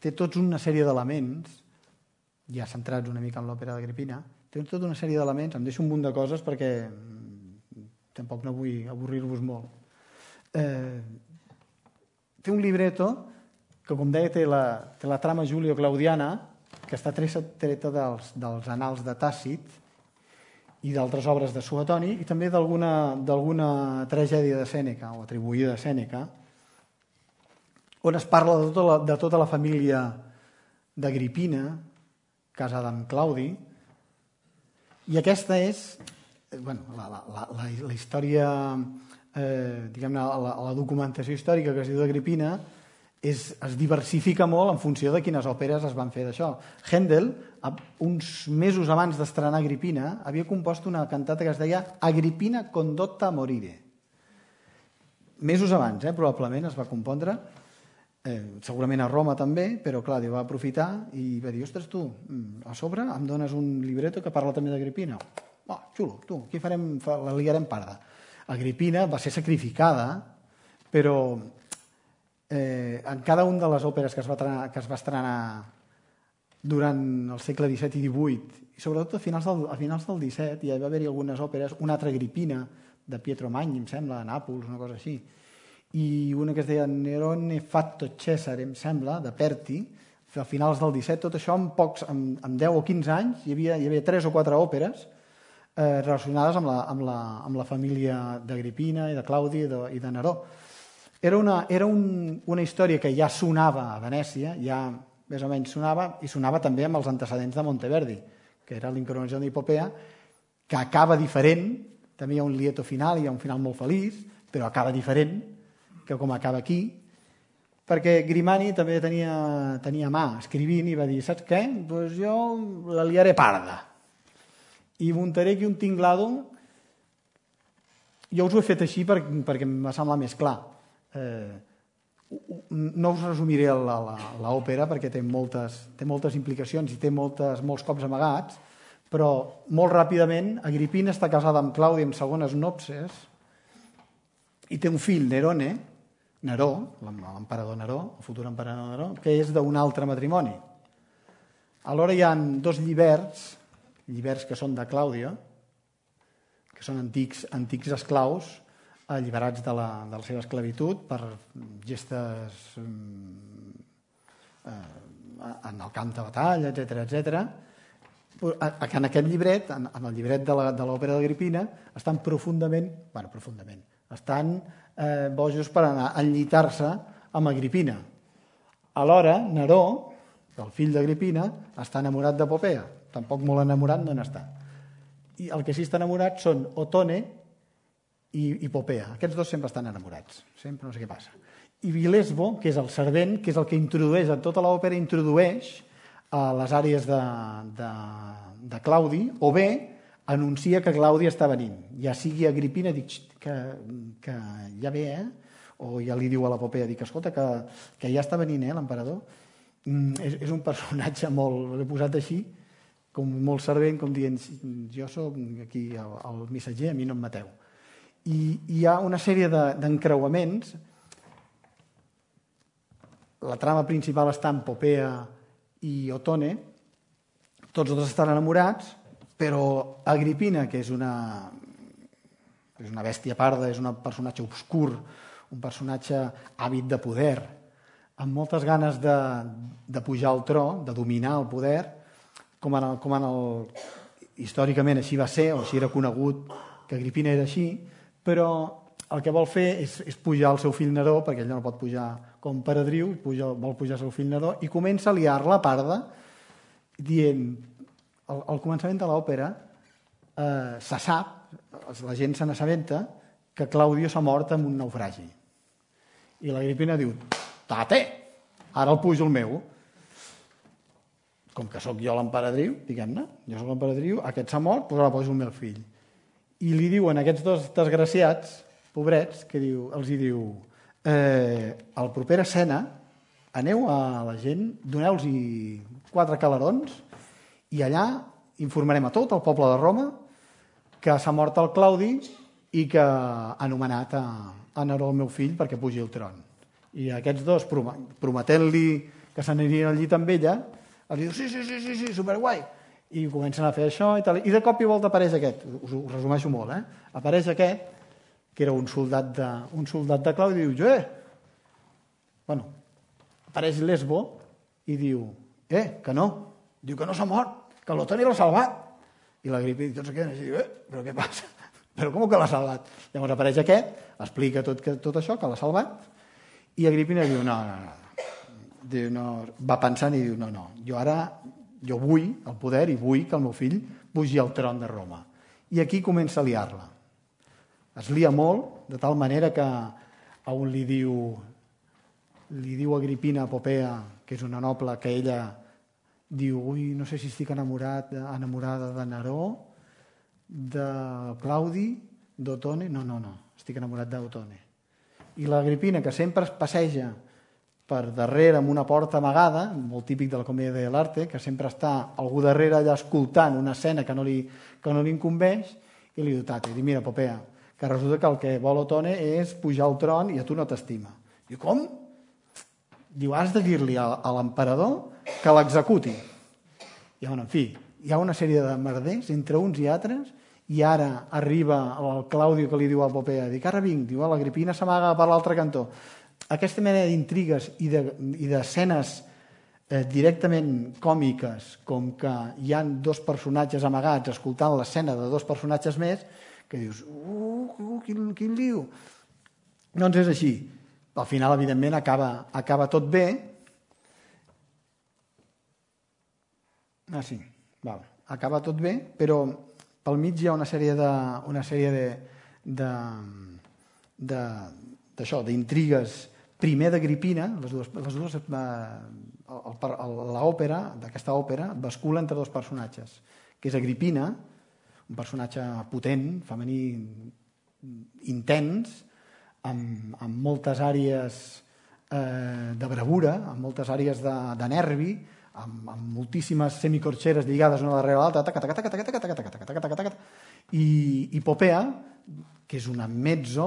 té tots una sèrie d'elements, ja centrats una mica en l'òpera d'Agripina, té tota una sèrie d'elements, em deixo un munt de coses perquè tampoc no vull avorrir-vos molt. Té un libretto que, com deia, té la trama Julio-Claudiana, que està treta dels annals de Tàcit i d'altres obres de Suetoni, i també d'alguna tragèdia de Sèneca, o atribuïda a Sèneca, on es parla de tota la família d'Agripina, casada amb Claudi, i aquesta és la història, diguem-ne, la documentació històrica que es diu d'Agripina es diversifica molt en funció de quines òperes es van fer d'això. Händel, uns mesos abans d'estrenar Agripina, havia compost una cantata que es deia Agripina condotta a morire. Mesos abans, probablement es va compondre, segurament a Roma també, però Claudio va aprofitar i va dir, ostres, tu, a sobre em dones un libretto que parla també d'Agripina. Xulo, tu, aquí la liarem parda. Agripina va ser sacrificada, però en cada una de les òperes que es va estrenar durant el segle XVII i XVIII, i sobretot a finals del XVII, ja va haver-hi algunes òperes, una altra Agripina, de Pietro Magni, em sembla, a Nàpols, una cosa així, i una que es deia Nerone fatto Cesare, em sembla, de Perti, a finals del XVII, tot això en 10 o 15 anys, hi havia 3 o 4 òperes relacionades amb la família d'Agripina i de Claudi i de Neró. Era una història que ja sonava a Venècia, ja més o menys sonava, i sonava també amb els antecedents de Monteverdi, que era l'Incoronazione d'Hippopea, que acaba diferent, també hi ha un lieto final, hi ha un final molt feliç, però acaba diferent que com acaba aquí, perquè Grimani també tenia mà escrivint i va dir, saps què? Doncs jo la liaré parda i muntaré aquí un tinglado. Jo us ho he fet així perquè em va semblar més clar. No us resumiré l'òpera perquè té moltes implicacions i té molts cops amagats, però molt ràpidament Agripina està casada amb Claudi en segones nopces i té un fill, Neró, l'emperador Neró, el futur emperador Neró, que és d'un altre matrimoni. Alhora hi ha 2 lliberts que són de Clàudia, que són antics esclaus alliberats de la seva esclavitud per gestes en el camp de batalla, etc. En aquest llibret, en el llibret de l'òpera d'Agripina, estan estan bojos per anar a enllitar-se amb Agripina. Alhora, Neró, el fill d'Agripina, està enamorat de Popea. Tampoc molt enamorat no n'està. I el que sí està enamorat són Otone i Popea. Aquests 2 sempre estan enamorats. Sempre no sé què passa. I Vilesbo, que és el servent, que és el que introdueix a tota l'òpera, introdueix a les àrees de Claudi, o bé anuncia que Claudi està venint. Ja sigui Agripina, dic que ja ve, o ja li diu a la Popea, dic, escolta, que ja està venint, l'emperador. És un personatge molt, l'he posat així, com molt servent, com dient, jo soc aquí el missatger, a mi no em mateu. I hi ha una sèrie d'encreuaments. La trama principal està en Popea i Otone, tots 2 estan enamorats, però Agripina, que és una bèstia parda, és un personatge obscur, un personatge àvid de poder, amb moltes ganes de pujar al tro, de dominar el poder, històricament així va ser, o així era conegut que Agripina era així, però el que vol fer és pujar el seu fill Neró, perquè ell no pot pujar com peredriu, vol pujar el seu fill Neró, i comença a liar-la parda, dient, al començament de l'òpera, se sap, la gent se n'assabenta, que Claudio s'ha mort en un naufragi. I l'Agripina diu, tate, ara el pujo el meu. Com que sóc jo l'emperadriu, diguem-ne, jo sóc l'emperadriu, aquest s'ha mort, doncs ara poso el meu fill. I li diuen a aquests dos desgraciats, pobrets, que els hi diu, a la propera escena, aneu a la gent, doneu-los 4 calarons i allà informarem a tot el poble de Roma que s'ha mort el Claudi i que ha anomenat a Neró el meu fill perquè pugi al tron. I aquests dos, prometent-li que s'anirien al llit amb ella, els diu, sí, superguai. I comencen a fer això i tal. I de cop i volta apareix aquest, us ho resumeixo molt, apareix aquest, que era un soldat de Claudi, i diu, bueno, apareix Lesbo i diu, que no. Diu que no s'ha mort, que l'Otoni l'ha salvat. I l'Agrippina tots queden així, però què passa? Però com que l'ha salvat? Llavors apareix aquest, explica tot això, que l'ha salvat, i Agrippina diu, no. Diu, no. Va pensant i diu, no, jo vull el poder i vull que el meu fill pugi al tron de Roma. I aquí comença a liar-la. Es lia molt, de tal manera que a un li diu Agrippina a Popea, que és una noble, que ella diu, no sé si estic enamorada de Neró, de Claudi, d'Otone. No, estic enamorat d'Otone. I l'Agrippina, que sempre es passeja per darrere amb una porta amagada, molt típic de la comèdia dell'arte, que sempre està algú darrere allà escoltant una escena que no li incumbeix, i li diu, diu, mira, Popea, que resulta que el que vol Otone és pujar al tron i a tu no t'estima. Diu, com? Diu, has de dir-li a l'emperador que l'executi. I, en fi, hi ha una sèrie de merders entre uns i altres, i ara arriba el Claudio que li diu a Popea, dic, ara vinc, diu, l'Agrippina s'amaga per l'altre cantó. Aquesta mena d'intrigues i d'escenes directament còmiques, com que hi ha 2 personatges amagats escoltant l'escena de 2 personatges més, que dius, quin lío. Doncs és així. Al final, evidentment, acaba tot bé. Sí, acaba tot bé, però pel mig hi ha una sèrie d'intrigues, primer d'Agrippina, l'òpera, d'aquesta òpera, bascula entre 2 personatges, que és Agrippina, un personatge potent, femení, intens, amb moltes àrees de bravura, amb moltes àrees de nervi, amb moltíssimes semicorxeres lligades una darrere l'altra, i Popea, que és una mezzo,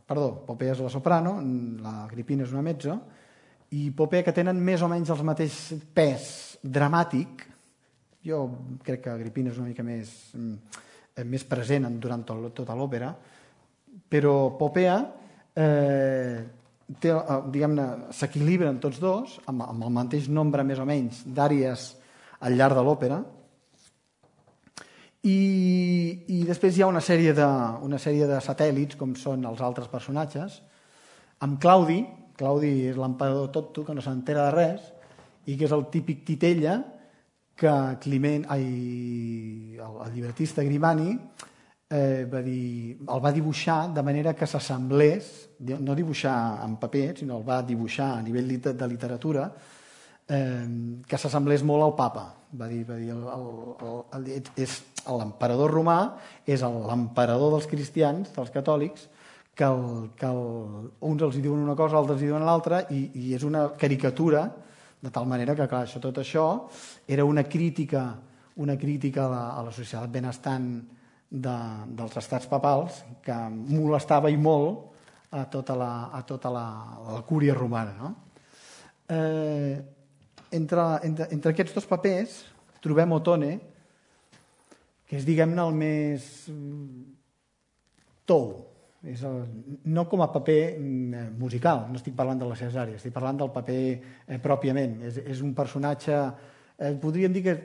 Popea és la soprano, l'Agrippina és una mezzo, i Popea, que tenen més o menys el mateix pes dramàtic. Jo crec que Agrippina és una mica més present durant tota l'òpera, però Popea s'equilibren tots dos amb el mateix nombre més o menys d'àrees al llarg de l'òpera, i després hi ha una sèrie de satèl·lits, com són els altres personatges, amb Claudi és l'emperador tonto, que no s'entera de res, i que és el típic titella que el llibretista Grimani el va dibuixar de manera que s'assemblés, no dibuixar en paper, sinó el va dibuixar a nivell de literatura, que s'assemblés molt al papa. Va dir l'emperador romà és l'emperador dels cristians, dels catòlics, que uns els diuen una cosa, altres els diuen l'altra, i és una caricatura, de tal manera que, clar, tot això era una crítica a la societat benestant dels estats papals, que molestava i molt a tota la cúria romana. Entre aquests 2 papers trobem Otone, que és, diguem-ne, el més tou. No com a paper musical, no estic parlant de la Cesària, estic parlant del paper pròpiament. És un personatge, podríem dir que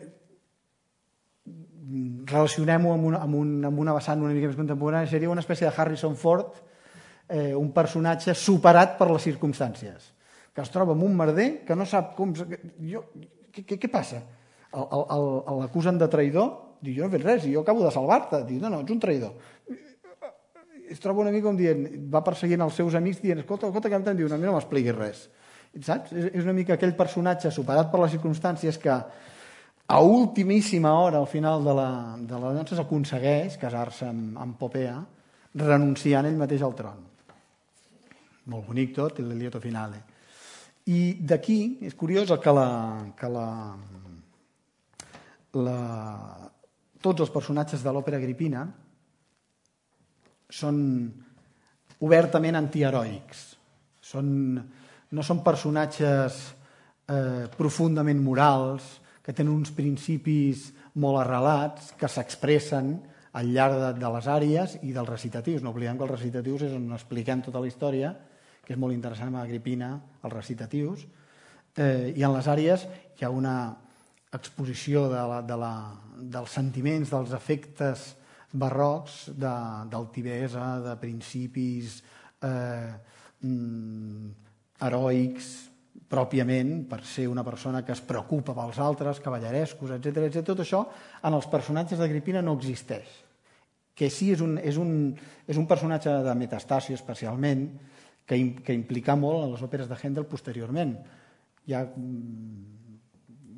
relacionem-ho amb una vessant una mica més contemporània, seria una espècie de Harrison Ford, un personatge superat per les circumstàncies, que es troba en un merder que no sap com... Què passa? L'acusen de traïdor, diu, jo no he fet res, jo acabo de salvar-te. Diu, no, ets un traïdor. es troba una mica com dient, va perseguint els seus amics dient, escolta, capità, diu, a mi no m'expliquis res. Saps? És una mica aquell personatge superat per les circumstàncies que a ultimíssima hora, al final de la dansa, s'aconsegueix casar-se amb Popea, renunciant ell mateix al tron. Molt bonic tot, el lieto finale. I d'aquí és curiós que tots els personatges de l'òpera agripina són obertament antiheroics. No són personatges profundament morals, que tenen uns principis molt arrelats, que s'expressen al llarg de les àries i dels recitatius. No oblidem que els recitatius és on expliquem tota la història, que és molt interessant amb Agripina, els recitatius, i en les àries hi ha una exposició dels sentiments, dels efectes barrocs, d'altivesa, de principis heroics, pròpiament, per ser una persona que es preocupa pels altres, cavallerescos, etc. Tot això en els personatges d'Agripina no existeix. Que sí és un personatge de Metastasio especialment, que implica molt en les òperes de Händel posteriorment. Hi ha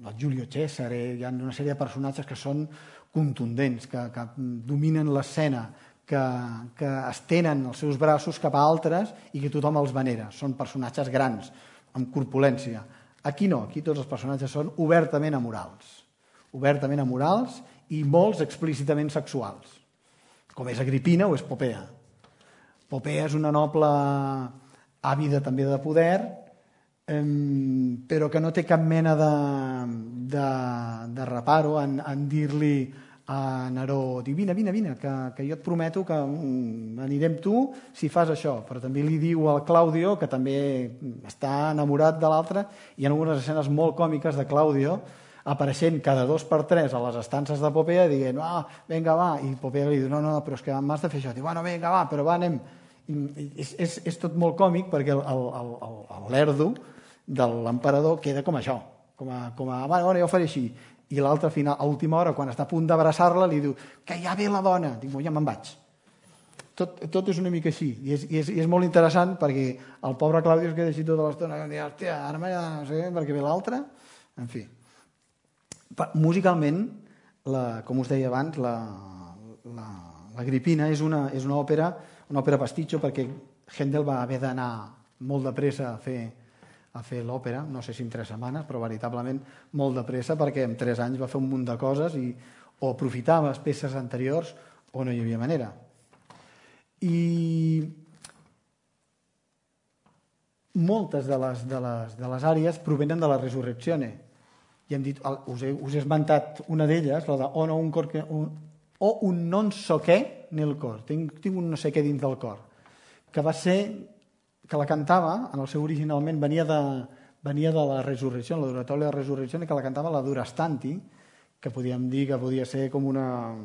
el Giulio Cesare, hi ha una sèrie de personatges que són contundents, que dominen l'escena, que estenen els seus braços cap a altres i que tothom els venera. Són personatges grans, amb corpulència. Aquí no, aquí tots els personatges són obertament amorals i molts explícitament sexuals, com és Agripina o és Popea. Popea és una noble àvida també de poder, però que no té cap mena de reparo en dir-li a Neró, vine, que jo et prometo que anirem tu si fas això. Però també li diu al Claudio, que també està enamorat de l'altre, i hi ha algunes escenes molt còmiques de Claudio apareixent cada 2 per 3 a les estances de Popea dient, vinga, va, i Popea li diu, no, però és que m'has de fer això. Diu, bueno, vinga, va, però va, anem. És tot molt còmic perquè l'erdo de l'emperador queda com això, bueno, jo ho faré així. I l'altre, a última hora, quan està a punt d'abraçar-la, li diu que ja ve la dona. Dic, ja me'n vaig. Tot és una mica així. I és molt interessant perquè el pobre Claudio es queda així tota l'estona i diu, hòstia, ara m'he de no sé perquè ve l'altre. En fi. Musicalment, com us deia abans, l'Agripina és una òpera pastitxo perquè Händel va haver d'anar molt de pressa a fer l'òpera, no sé si en 3 setmanes, però veritablement molt de pressa, perquè en 3 anys va fer un munt de coses i o aprofitaves peces anteriors o no hi havia manera. I moltes de les àrees provenen de la Resurrezione. I hem dit, us he esmentat una d'elles, la de o un non so què nel cor. Tinc un no sé què dins del cor, que va ser que la cantava, en el seu originalment venia de la Resurrecció, l'oratòria de la Resurrecció, que la cantava la Durastanti, que podíem dir que podia ser com una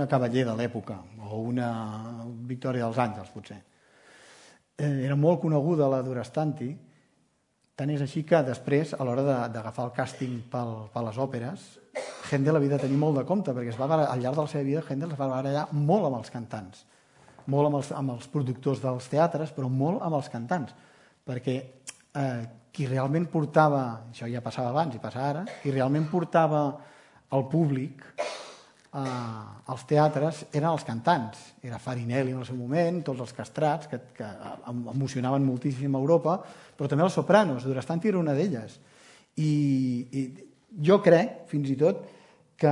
cavaller de l'època, o una Victòria dels Àngels, potser. Era molt coneguda la Durastanti, tant és així que després, a l'hora d'agafar el càsting per les òperes, Händel havia de tenir molt de compte, perquè al llarg de la seva vida Händel es va barallar molt amb els cantants, molt amb els productors dels teatres, però molt amb els cantants, perquè qui realment portava, això ja passava abans i passa ara, qui realment portava el públic als teatres eren els cantants. Era Farinelli en el seu moment, tots els castrats, que emocionaven moltíssim a Europa, però també els sopranos, Durastanti era una d'elles. I jo crec, fins i tot, que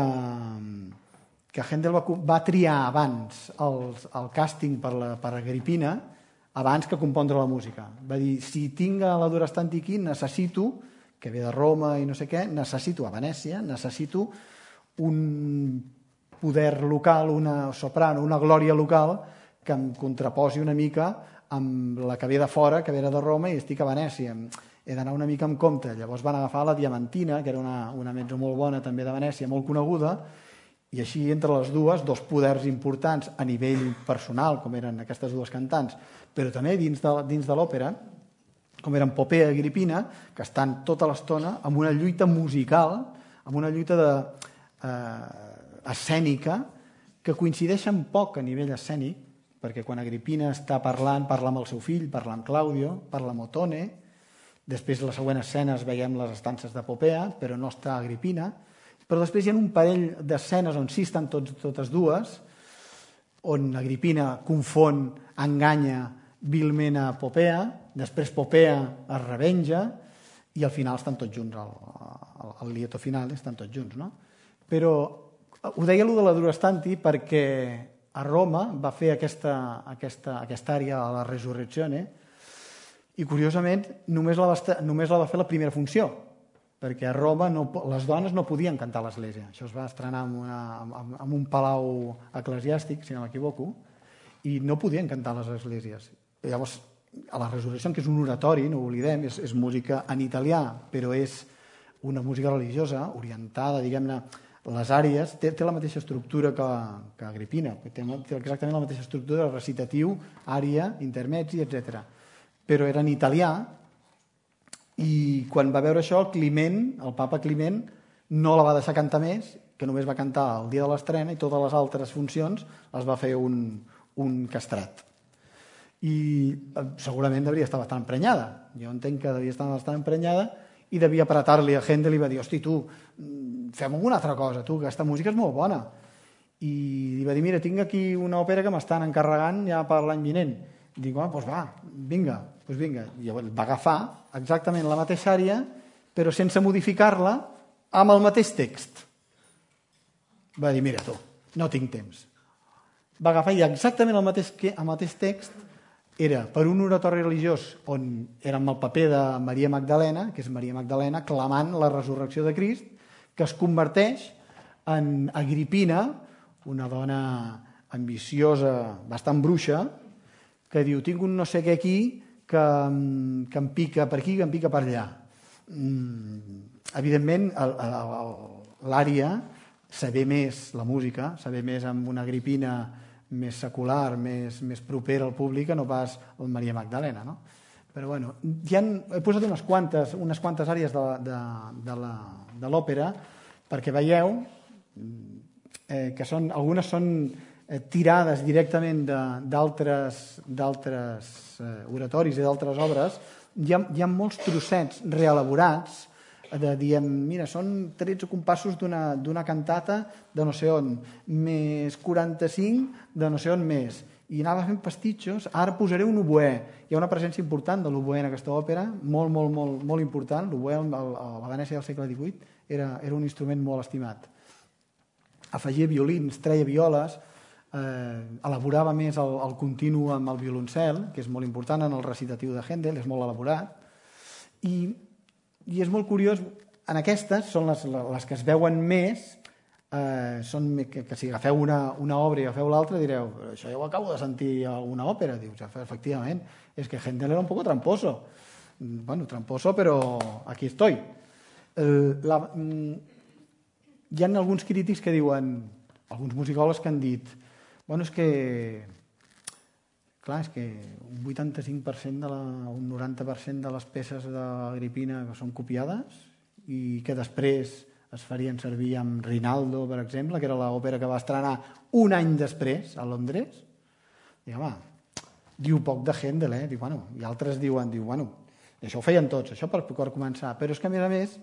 Händel va triar abans el càsting per Agripina abans que compondre la música. Va dir, si tinc la Durastanti aquí, necessito, que ve de Roma i no sé què, necessito a Venècia, necessito un poder local, una soprano, una glòria local que em contraposi una mica amb la que ve de fora, que ve de Roma i estic a Venècia. He d'anar una mica amb compte. Llavors van agafar la Diamantina, que era una mezzo molt bona també de Venècia, molt coneguda, i així entre les dues, 2 poders importants a nivell personal, com eren aquestes 2 cantants, però també dins de l'òpera, com eren Popea i Agripina, que estan tota l'estona amb una lluita musical, amb una lluita escènica que coincideixen poc a nivell escènic, perquè quan Agripina està parla amb el seu fill, parla amb Claudio, parla amb Otone, després la següent escena veiem les estances de Popea, però no està Agripina, però després hi ha un parell d'escenes on sí estan totes dues, on Agripina confon, enganya vilment a Popea, després Popea es revenja i al final estan tots junts, al lieto final estan tots junts, no? Però ho deia allò de la Durastanti perquè a Roma va fer aquesta àrea a la Resurrezione i curiosament només la va fer la primera funció, perquè a Roma les dones no podien cantar a l'església. Això es va estrenar en un palau eclesiàstic, si no m'equivoco, i no podien cantar a les esglésies. Llavors, a la Resurrecció, que és un oratori, no ho oblidem, és música en italià, però és una música religiosa, orientada, diguem-ne, les àries, té la mateixa estructura que Agripina, té exactament la mateixa estructura, recitatiu, ària, intermezzi, etc. Però era en italià, i quan va veure això, el papa Climent no la va deixar cantar més, que només va cantar el dia de l'estrena i totes les altres funcions les va fer un castrat. I segurament devia estar bastant emprenyada. Jo entenc que devia estar bastant emprenyada i devia apretar-li a Händel i va dir, hosti, tu, fem alguna altra cosa, tu, que aquesta música és molt bona. I li va dir, mira, tinc aquí una òpera que m'estan encarregant ja per l'any vinent. I dic, doncs va, vinga. I llavors va agafar exactament la mateixa àrea, però sense modificar-la, amb el mateix text. Va dir, mira tu, no tinc temps. Va agafar i exactament el mateix text era per un oratori religiós on era amb el paper de Maria Magdalena, que és Maria Magdalena clamant la resurrecció de Crist, que es converteix en Agripina, una dona ambiciosa, bastant bruixa, que diu, tinc un no sé què aquí que em pica per aquí, que em pica per allà. Evidentment, l'ària saber més la música, saber més amb una Agripina més secular, més propera al públic, que no pas el Maria Magdalena, no? Però bueno, he posat unes quantes àrees de l'òpera perquè veieu que algunes són tirades directament d'altres oratoris i d'altres obres. Hi ha molts trossets reelaborats de dir, mira, són 13 compassos d'una cantata de no sé on, més 45 de no sé on més. I anava fent pastitxos. Ara posaré un oboè. Hi ha una presència important de l'oboè en aquesta òpera, molt, molt, molt, molt important. L'oboè a la Venècia del segle XVIII era un instrument molt estimat. Afegia violins, treia violes, elaborava més el continu amb el violoncel, que és molt important en el recitatiu de Händel, és molt elaborat. I és molt curiós, en aquestes són les que es veuen més, que si agafeu una obra i agafeu l'altra direu, però això ja ho acabo de sentir a una òpera. Dius, efectivament, és que Händel era un poco tramposo. Bueno, tramposo, però aquí estoy. Hi ha alguns crítics que diuen, alguns musicòlegs que han dit, bueno, és que clar, és que un 85% un 90% de les peces d'Agripina són copiades i que després es farien servir amb Rinaldo, per exemple, que era l'òpera que va estrenar un any després a Londres. I home, diu poc de Händel, i altres diuen, això ho feien tots, això per començar, però és que a més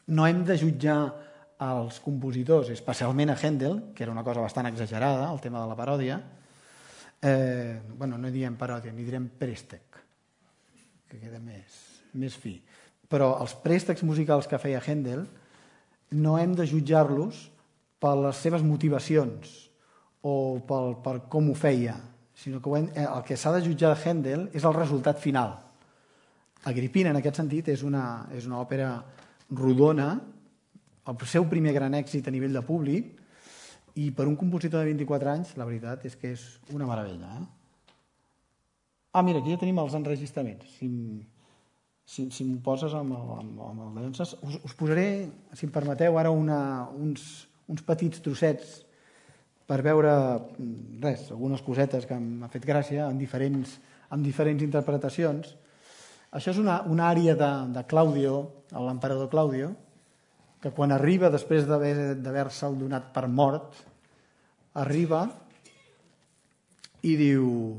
no hem de jutjar els compositors, especialment a Händel, que era una cosa bastant exagerada, el tema de la paròdia. No diem paròdia, ni direm préstec, que queda més fi. Però els préstecs musicals que feia Händel no hem de jutjar-los per les seves motivacions o per com ho feia, sinó que el que s'ha de jutjar de Händel és el resultat final. Agripina, en aquest sentit, és una òpera rodona, el seu primer gran èxit a nivell de públic, i per un compositor de 24 anys, la veritat és que és una meravella. Mira, aquí ja tenim els enregistraments. Si m'ho poses amb el de Llonses, us posaré, si em permeteu, ara uns petits trossets per veure, algunes cosetes que m'ha fet gràcia amb diferents interpretacions. Això és una àrea de Claudio, l'emperador Claudio, que quan arriba, després d'haver-se'l donat per mort, arriba i diu,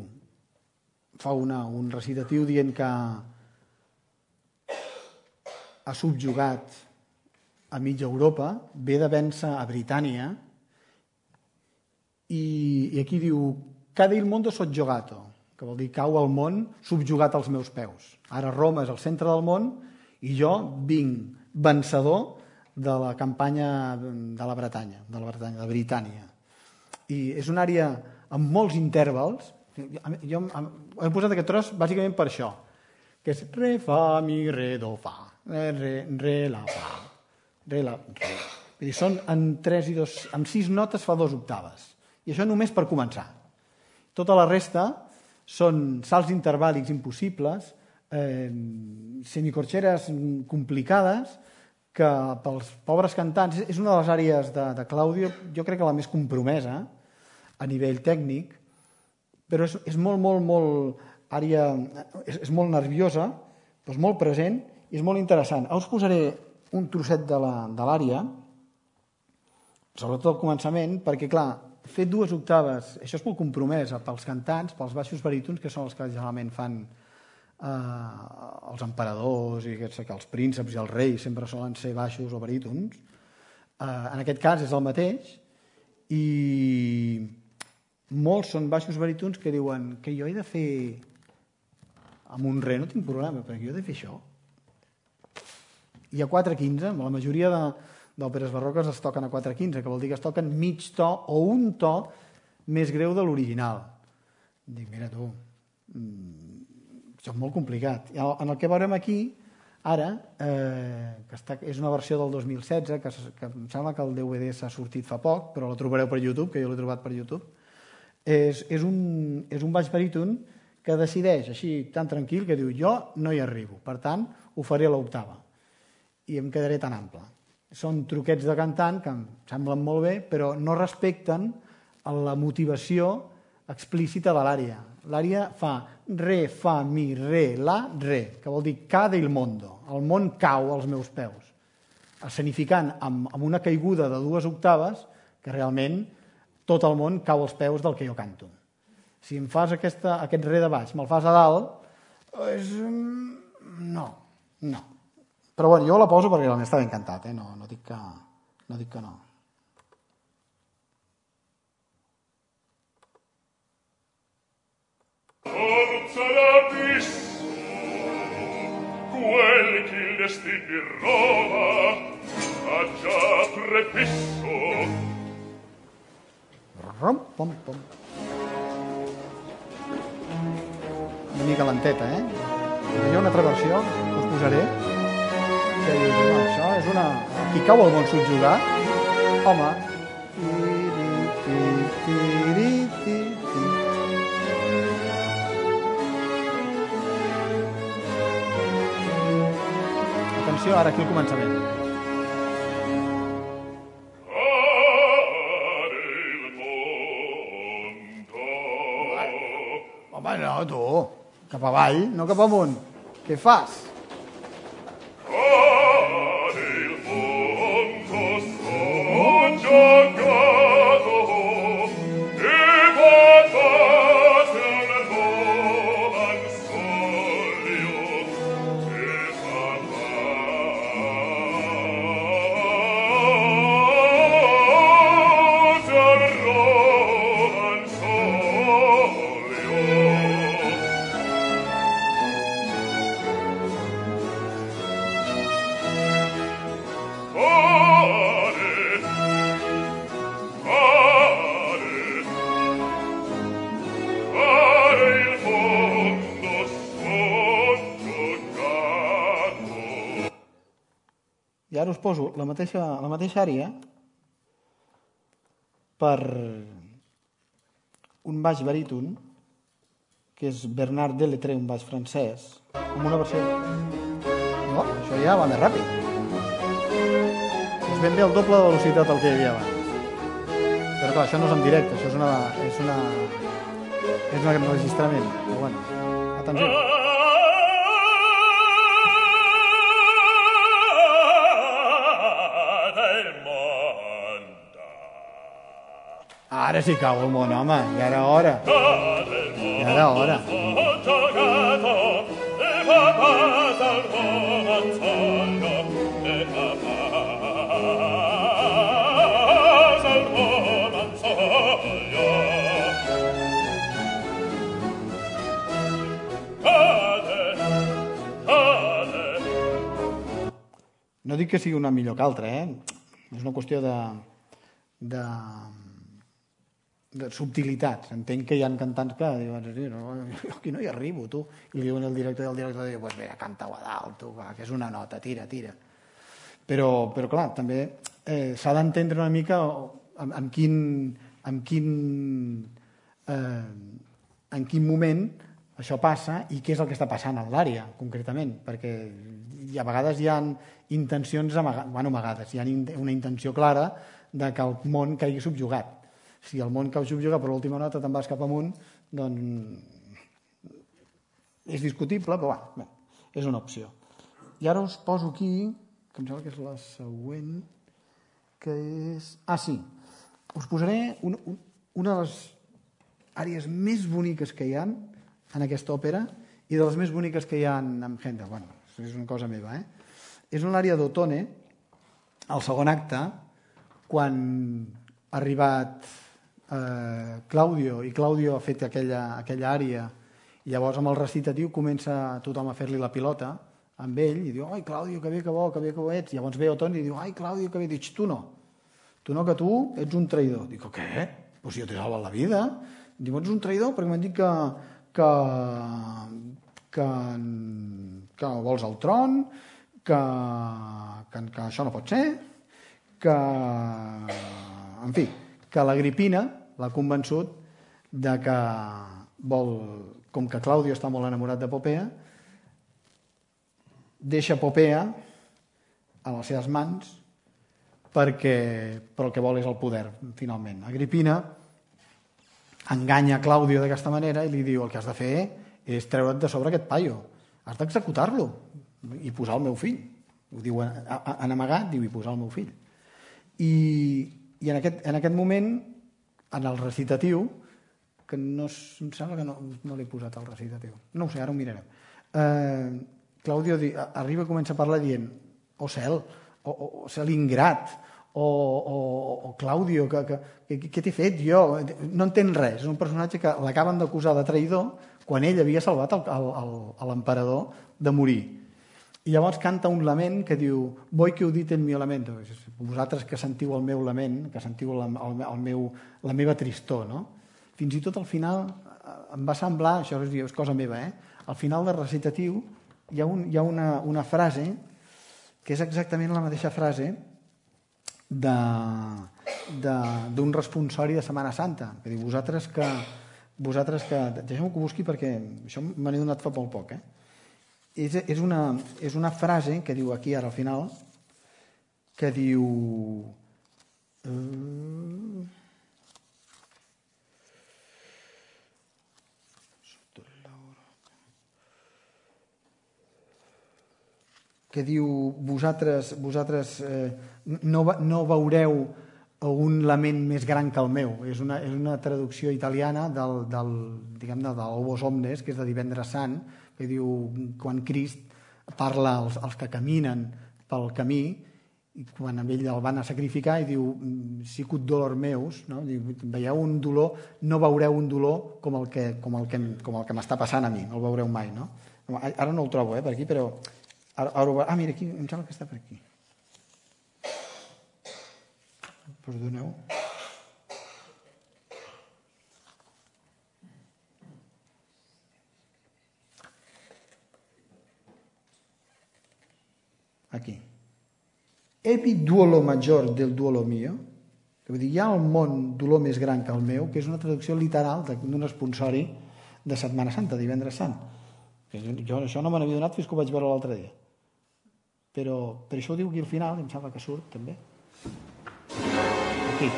fa un recitatiu dient que ha subjugat a mitja Europa, ve de vèncer a Britània i aquí diu «Cade il mondo soggiogato», que vol dir «cau el món subjugat als meus peus». Ara Roma és el centre del món i jo vinc vencedor de la campanya de la Bretanya, de Britània. I és una àrea amb molts intervals. Jo he posat aquest tros bàsicament per això, que és re, fa, mi, re, do, fa, re, la, fa, re, la, re. Vull dir, són en 3 i 2, amb 6 notes fa 2 octaves. I això només per començar. Tota la resta són salts intervàlics impossibles, semicorxeres complicades, que pels pobres cantants és una de les àrees de Claudio, jo crec que la més compromesa a nivell tècnic, però és molt àrea, és molt nerviosa, però és molt present i és molt interessant. Ara us posaré un trosset de l'àrea, sobretot al començament, perquè clar, fer 2 octaves, això és molt compromès pels cantants, pels baixos barítons, que són els que generalment fan els emperadors i els prínceps i els reis sempre solen ser baixos o barítons. En aquest cas és el mateix i molts són baixos barítons que diuen que jo he de fer amb un re, no tinc problema, perquè jo he de fer això. I a 4/15, la majoria d'òperes barroques es toquen a 4/15, que vol dir que es toquen mig to o un to més greu de l'original. Dic, mira tu, això és molt complicat. En el que veurem aquí, ara, que és una versió del 2016, que em sembla que el DVD s'ha sortit fa poc, però la trobareu per YouTube, que jo l'he trobat per YouTube, és un baix baríton que decideix, així tan tranquil, que diu, jo no hi arribo, per tant, ho faré a l'octava i em quedaré tan ample. Són truquets de cantant que em semblen molt bé, però no respecten la motivació explícita de l'àrea. L'àrea fa re, fa, mi, re, la, re, que vol dir cade il mondo. El món cau als meus peus. Escenificant amb una caiguda de 2 octaves que realment tot el món cau als peus del que jo canto. Si em fas aquest re de baix, me'l fas a dalt, no. Però bueno, jo la poso perquè realment està ben cantat, no dic que no. Forza l'abisso, quel che il destin di Roma ha già prefisso. Rom, pom, pom. Una mica lenteta, Hi ha una altra versió que us posaré, que dius, això és una... Aquí cau el món subjugat. Home. Atenció, ara aquí al començament. Home, no, tu. Cap avall, no cap amunt. Què fas? I ara us poso la mateixa àrea per un baix baríton, que és Bernard Delettré, un baix francès, amb una versió... No, això ja va més ràpid. És ben bé el doble de velocitat del que hi havia abans. Però clar, això no és en directe, això és un enregistrament. Però bueno, atenció. Ara sí cau el món, home, ja era hora. Ja era hora. No dic que sigui una millor que altra, és una qüestió de subtilitats. Entenc que hi ha cantants que diuen, no, aquí no hi arribo, tu. I li diuen al director, i el director diu, pues mira, canta-ho a dalt, tu, que és una nota, tira. Però clar, també s'ha d'entendre una mica en quin moment això passa i què és el que està passant a l'àrea, concretament, perquè a vegades hi ha intencions amagades, hi ha una intenció clara de que el món caigui subjugat. Si el món cau subjugat per l'última nota te'n vas cap amunt, doncs és discutible, però bé, és una opció. I ara us poso aquí, que em sembla que és la següent, que és... Sí, us posaré una de les àrees més boniques que hi ha en aquesta òpera i de les més boniques que hi ha en Händel. Bueno, és una cosa meva, És l'àrea d'Ottone, al segon acte, quan ha arribat Claudio, i Claudio ha fet aquella àrea, i llavors amb el recitatiu comença tothom a fer-li la pilota amb ell, i diu, ai, Claudio, que bé que bo ets. I llavors ve Ottone i diu, ai, Claudio, que bé. Dic, tu no, que tu ets un traïdor. Dic, què? Pues jo t'he salvat la vida. Diu, ets un traïdor perquè m'han dit que vols el tron, que això no pot ser, en fi, que l'Agripina l'ha convençut de que vol, com que Claudio està molt enamorat de Popea, deixa Popea a les seves mans però el que vol és el poder, finalment. Agripina enganya Claudio d'aquesta manera i li diu, el que has de fer és treure't de sobre aquest paio, has d'executar-lo i posar el meu fill. Ho diu en amagat, diu, i posar el meu fill. I en aquest moment, en el recitatiu, que no, em sembla que no l'he posat al recitatiu, no ho sé, ara ho mirarem. Claudio arriba i comença a parlar dient, cel, o cel ingrat, o Claudio, què t'he fet jo? No entén res, és un personatge que l'acaben d'acusar de traïdor quan ell havia salvat l'emperador de morir. I llavors canta un lament que diu, voi que ho dit el meu lamento, vosaltres que sentiu el meu lament, que sentiu la meva tristor, no? Fins i tot al final em va semblar, això és cosa meva, al final del recitatiu hi ha una frase que és exactament la mateixa frase d'un responsori de Setmana Santa, que diu, vosaltres que... Deixeu-me que ho busqui perquè això me n'he donat fa molt poc, És una frase que diu aquí ara al final, que diu vosaltres no veureu un lament més gran que el meu. És una traducció italiana del Obos Omnes, que és de Divendres Sant, que diu, quan Crist parla als que caminen pel camí, i quan amb ell el van a sacrificar, i diu, sicut dolor meus, no? Veieu un dolor, no veureu un dolor com el que m'està passant a mi, no el veureu mai, no? Ara no el trobo, per aquí, però... mira, aquí, em sembla que està per aquí. Perdoneu. Aquí. Epi duolo maggior del duolo mio, que vull dir, hi ha al món dolor més gran que el meu, que és una traducció literal d'un esponsori de Setmana Santa, Divendres Sant. Jo això no me n'havia donat fins que ho vaig veure l'altre dia. Però per això ho diu aquí al final, em sembla que surt també. Aquí.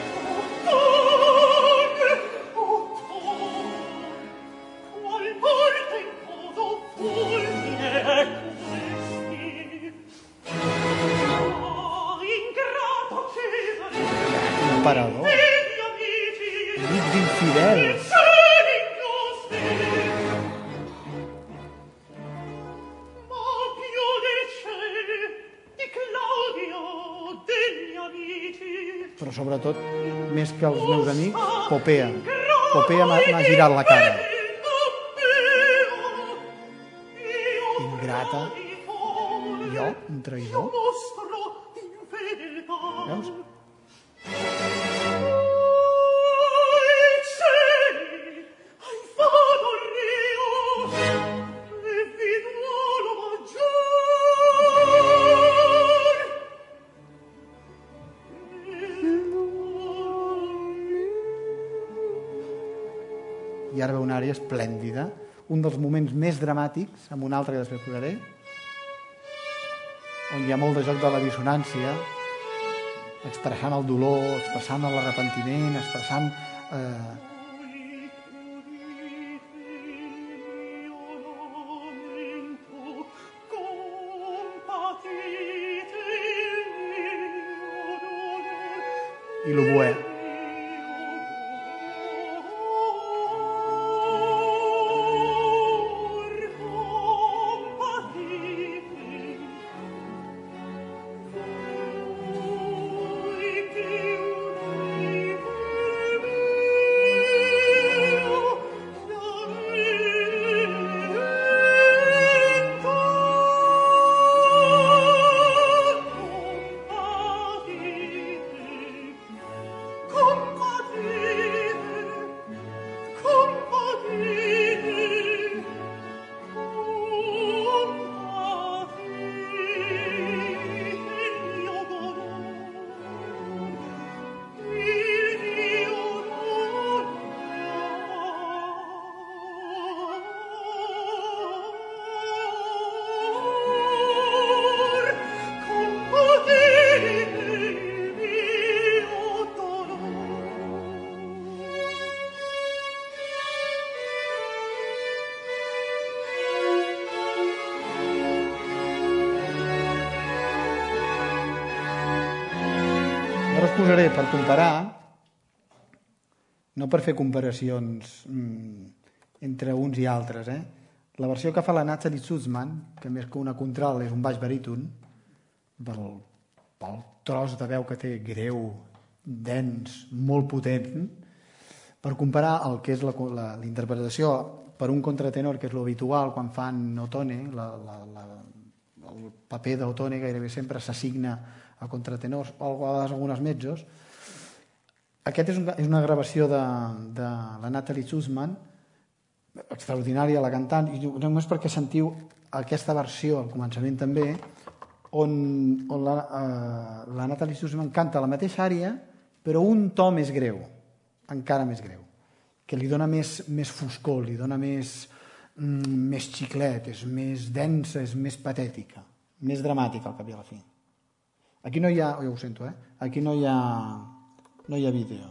Parador. però sobretot, més que els meus amics, Popea. Popea m'ha girat la cara. Ingrata. Jo, un traïdor. Veus? I ara ve una àrea esplèndida, un dels moments més dramàtics, amb un altre que després posaré, on hi ha molt de joc de la dissonància, expressant el dolor, expressant l'arrepentiment, expressant... I l'oboè. Ara us posaré per comparar, no per fer comparacions entre uns i altres, la versió que fa la Nathalie Sussman, que més que una contralt és un baix baríton, pel tros de veu que té greu, dens, molt potent, per comparar el que és la interpretació per un contratenor, que és l'habitual quan fan Ottone, el paper d'Ottone gairebé sempre s'assigna a contratenors o a vegades algunes mezzos. Aquest és una gravació de la Nathalie Sussman, extraordinària la cantant, i només perquè sentiu aquesta versió al començament també, on la Nathalie Sussman canta la mateixa àrea però un to més greu, encara més greu, que li dona més foscor, li dona més xiclet, és més densa, és més patètica, més dramàtica al cap i a la fi. Aquí no hi ha, jo ho sento, aquí no hi ha vídeo.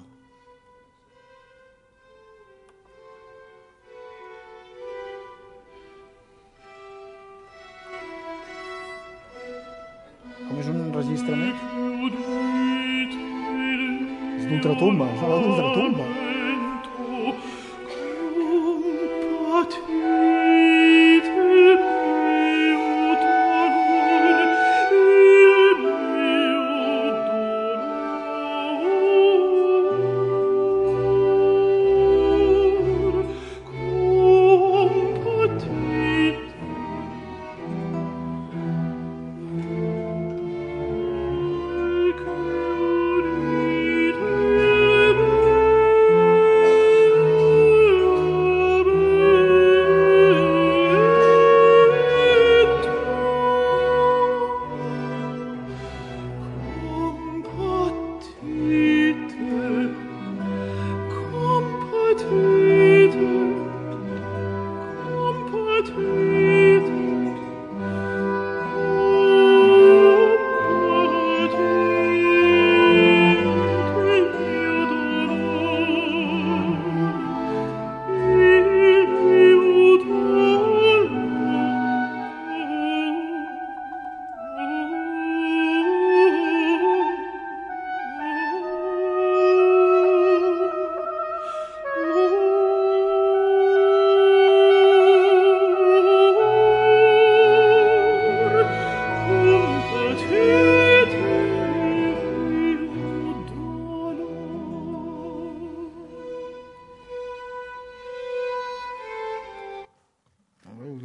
Com és un registre més? És d'ultratumba, és una d'ultratumba.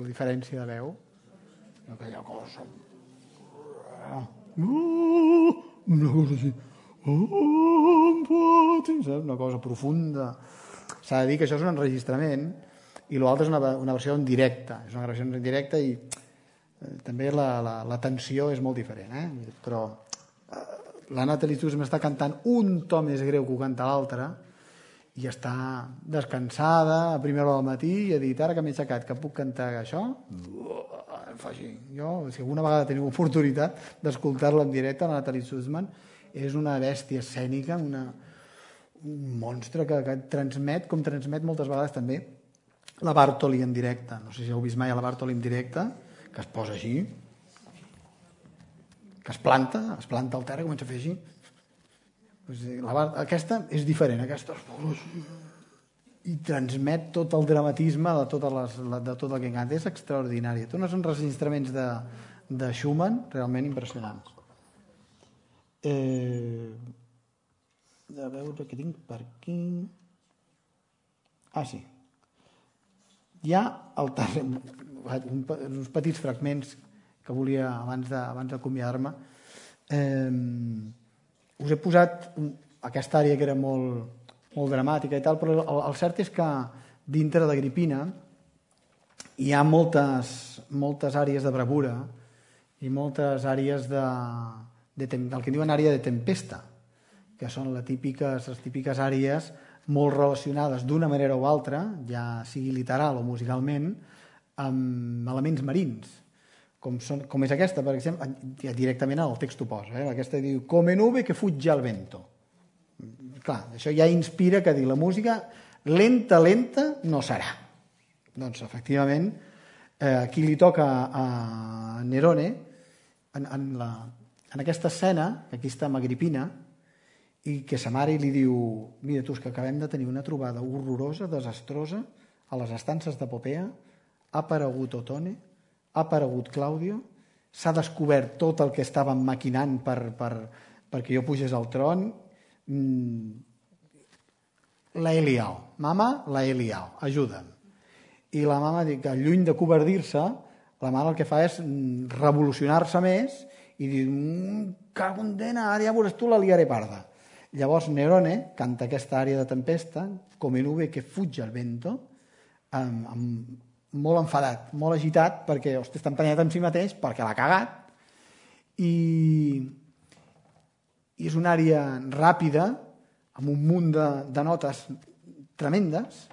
diferència de veu, aquella cosa... una cosa així... una cosa profunda. S'ha de dir que això és un enregistrament i l'altre és una versió en directe. És una versió en directe i també la tensió és molt diferent. Però la Natalie Zuzman està cantant un to més greu que ho canta l'altre i està descansada a primera hora del matí i ha dit, ara que m'he aixecat, que puc cantar això? Fa així. Jo, si alguna vegada teniu oportunitat d'escoltar-la en directe, la Natalie Zuzman és una bèstia escènica, un monstre que transmet, com transmet moltes vegades també la Bartoli en directe. No sé si heu vist mai a la Bartoli en directe, que es posa així, que es planta al terra i comença a fer així. Aquesta és diferent, aquesta es posa així i transmet tot el dramatisme de tot el que canta. És extraordinari. Té uns enregistraments de Schumann realment impressionants. A veure què tinc per aquí. Sí. Hi ha uns petits fragments que volia abans d'acomiadar-me. Us he posat aquesta àrea que era molt dramàtica i tal, però el cert és que dintre d'Agripina hi ha moltes àrees de bravura i moltes àrees del que diuen àrea de tempesta, que són les típiques àrees molt relacionades d'una manera o altra, ja sigui literal o musicalment, amb elements marins, com és aquesta, per exemple, directament el text ho posa. Aquesta diu, come nube que fugge al vento. Clar, això ja inspira que dir la música lenta no serà. Doncs, efectivament, aquí li toca a Nerone, en aquesta escena, que aquí està amb Agripina, i que sa mare li diu, mira tu, que acabem de tenir una trobada horrorosa, desastrosa, a les estances de Popea, ha aparegut Otone, ha aparegut Claudio, s'ha descobert tot el que estàvem maquinant perquè jo pugés al tron, la he liao, mama, la he liao, ajuda'm. I la mama, que lluny de covardir-se, la mare el que fa és revolucionar-se més i dir, cago en dena, ara ja veuràs tu, la liaré parda. Llavors Nerone canta aquesta àrea de tempesta, come nube que fugge al vento, molt enfadat, molt agitat, perquè està emprenyat amb si mateix, perquè l'ha cagat, i és una àrea ràpida, amb un munt de notes tremendes,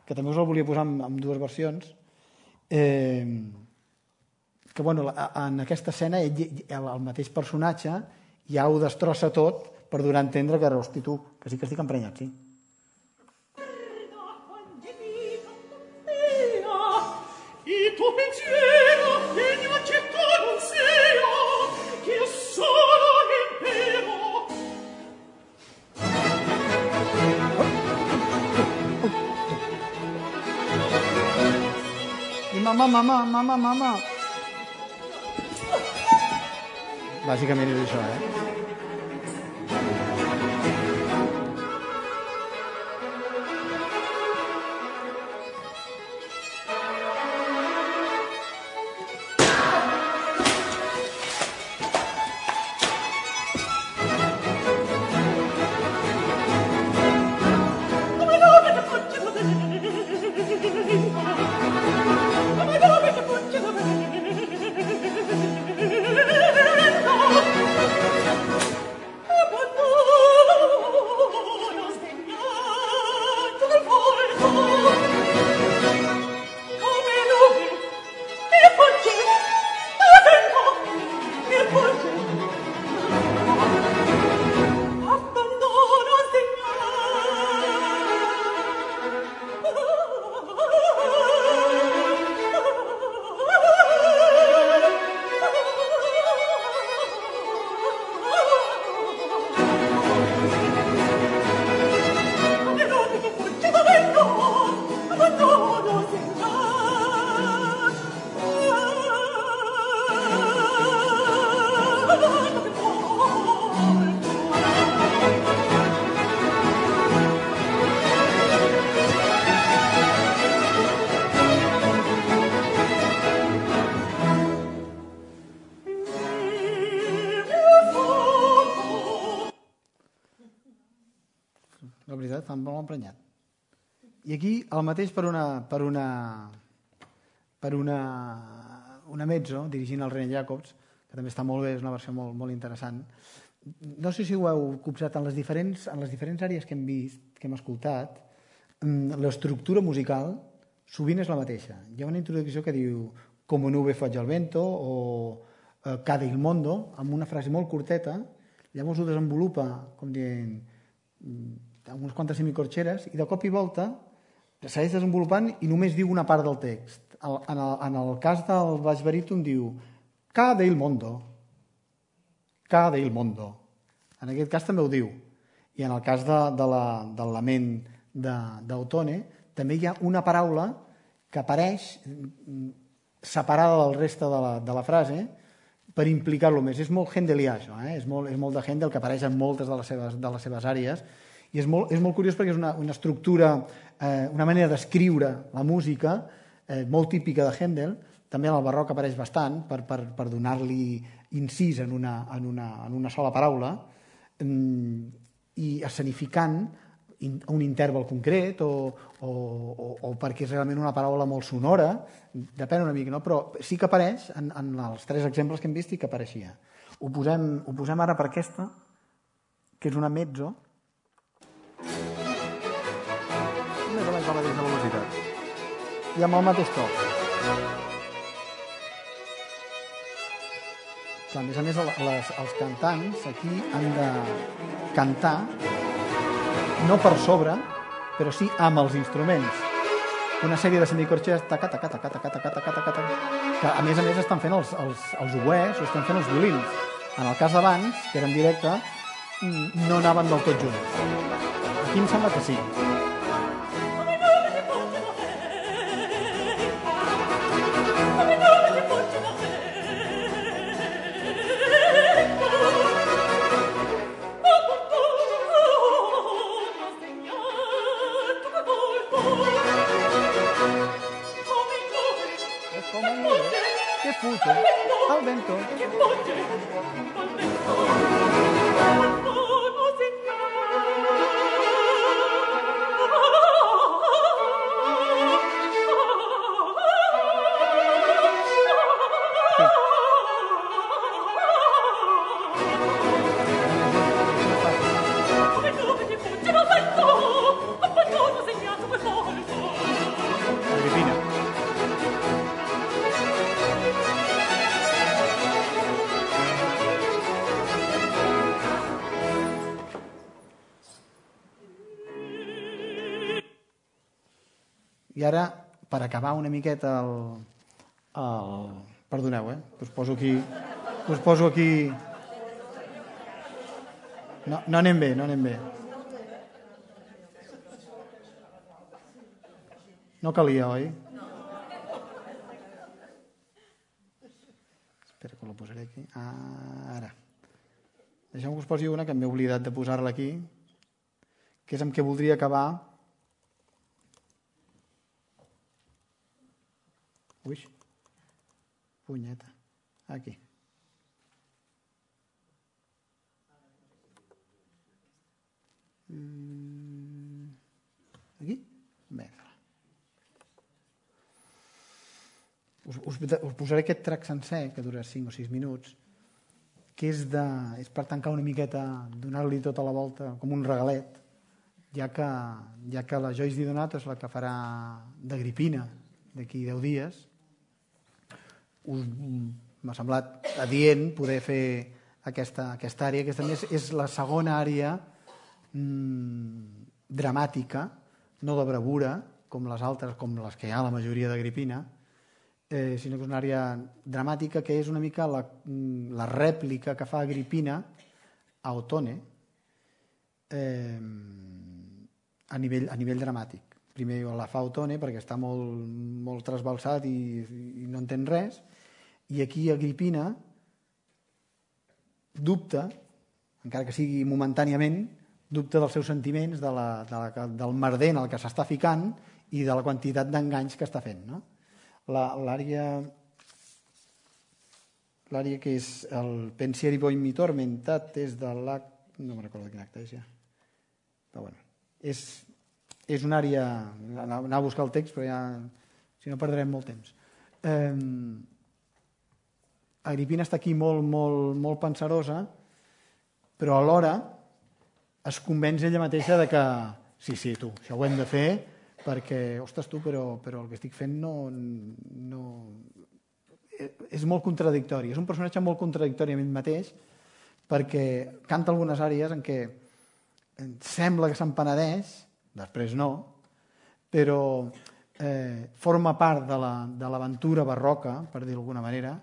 que també us el volia posar en dues versions, que en aquesta escena el mateix personatge ja ho destrossa tot per donar a entendre que, hosti tu, que sí que estic emprenyat, sí. Il tuo pensiero degno accetto non sia, che io solo impero. I mamà. Bàsicament és això, està molt emprenyat. I aquí el mateix per una mezzo, dirigint el René Jacobs, que també està molt bé, és una versió molt, molt interessant. No sé si ho heu copsat en les diferents àrees que hem vist, que hem escoltat, l'estructura musical sovint és la mateixa. Hi ha una introducció que diu «Como nube foggia al vento» o «Cade il mondo», amb una frase molt curteta, llavors ho desenvolupa com dient unes quantes semicorxeres i de cop i volta segueix desenvolupant i només diu una part del text. En el cas del baix baríton diu «Cade il mondo», «Cade il mondo». En aquest cas també ho diu. I en el cas del lament d'Autone també hi ha una paraula que apareix separada del reste de la frase per implicar-lo més. És molt hendelià, això, és molt de Händel, que apareix en moltes de les seves àrees, i és molt curiós perquè és una estructura, una manera d'escriure la música molt típica de Händel. També en el barroc apareix bastant per donar-li incís en una sola paraula, i escenificant un interval concret o perquè és realment una paraula molt sonora, depèn una mica, no? Però sí que apareix en els 3 exemples que hem vist i que apareixia. Ho posem ara per aquesta, que és una mezzo. Més o menys la mateixa velocitat. I amb el mateix to. A més a més, els cantants aquí han de cantar no per sobre, però sí amb els instruments. Una sèrie de semicorxes que a més estan fent els oboès o estan fent els violins. En el cas d'abans, que era en directe, no anaven del tot junts. Aquí em sembla que sí. Al vento. I ara, per acabar una miqueta perdoneu, us poso aquí... No anem bé. No calia, oi? Espera que la posaré aquí. Ara. Deixeu-me que us posi una que m'he oblidat de posar-la aquí, que és amb què voldria acabar. Ui, punyeta. Aquí. Aquí? Bé. Us posaré aquest track sencer, que dura 5 o 6 minuts, que és per tancar una miqueta, donar-li tota la volta, com un regalet, ja que la Joyce Di Donato és la que farà d'Agripina d'aquí 10 dies. M'ha semblat adient poder fer aquesta àrea, que també és la segona àrea dramàtica, no de bravura, com les altres, com les que hi ha a la majoria d'Agripina, sinó que és una àrea dramàtica que és una mica la rèplica que fa Agripina a Ottone a nivell dramàtic. Primer la fa Ottone perquè està molt trasbalsat i no entén res, i aquí Agripina dubta, encara que sigui momentàniament, dubta dels seus sentiments, del merder en el que s'està ficant i de la quantitat d'enganys que està fent. L'àrea que és el Pensieri voi mi tormentat és de l'acte... No me'n recordo quin acte és ja. Però bueno, és una àrea... Anar a buscar el text, però ja... Si no, perdrem molt temps. Agripina està aquí molt pensarosa, però alhora es convenç ella mateixa de que sí, tu, això ho hem de fer perquè, ostres, tu, però el que estic fent no... És molt contradictori. És un personatge molt contradictori a ell mateix perquè canta algunes àrees en què sembla que se'n penedeix, després no, però forma part de l'aventura barroca, per dir d'alguna manera,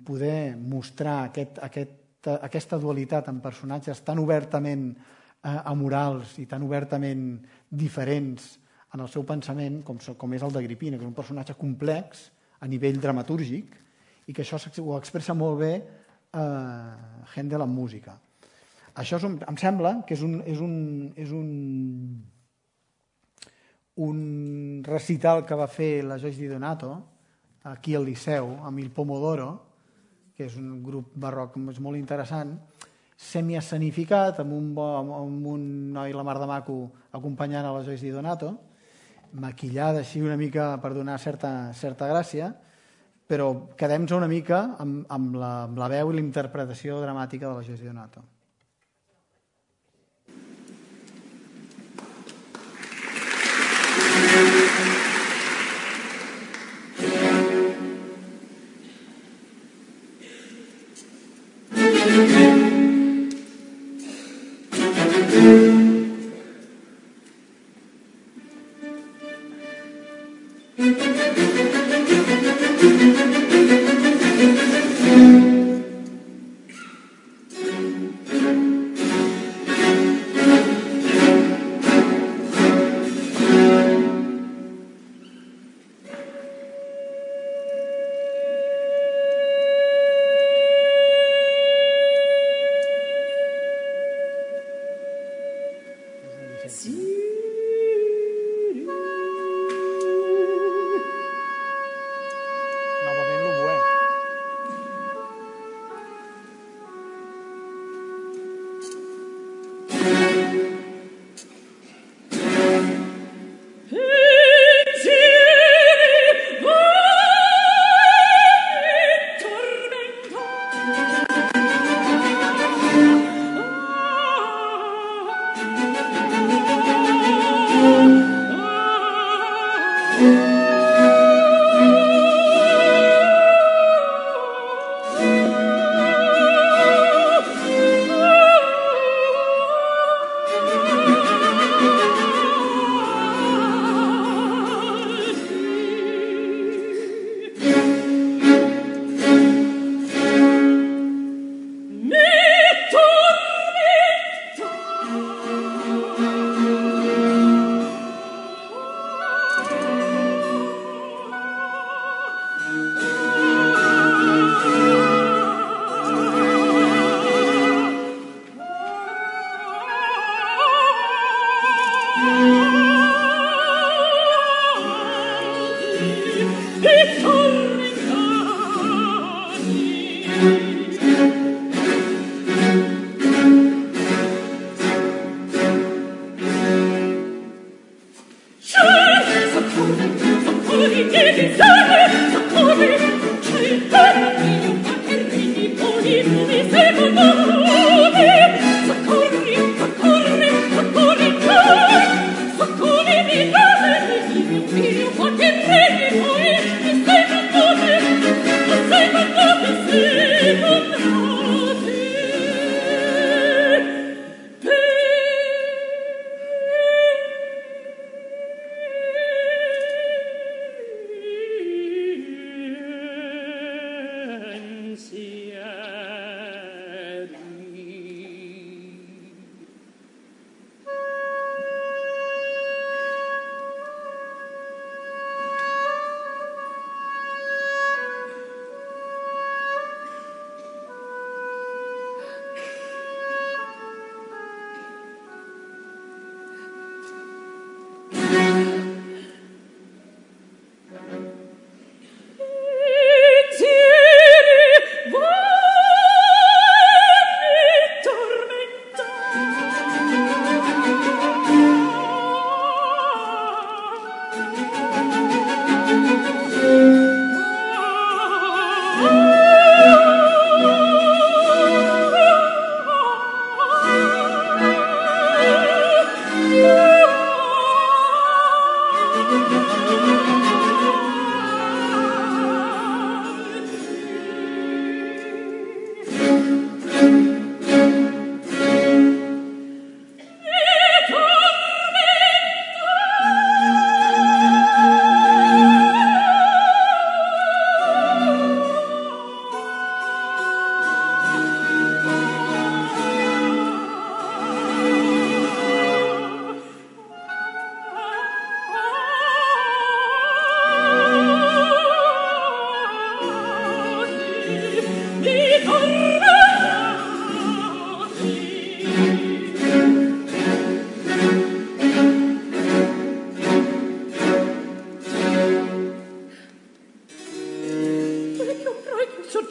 poder mostrar aquesta dualitat en personatges tan obertament amorals i tan obertament diferents en el seu pensament com és el d'Agripina, que és un personatge complex a nivell dramatúrgic i que això ho expressa molt bé Händel en música. Això em sembla que és un recital que va fer la Joyce Di Donato aquí al Liceu, amb Il Pomodoro, que és un grup barroc molt interessant, semiescenificat, amb un noi la mar de maco acompanyant a la Joyce Di Donato, maquillada així una mica per donar certa gràcia, però quedem-nos una mica amb la veu i la interpretació dramàtica de la Joyce Di Donato. Novament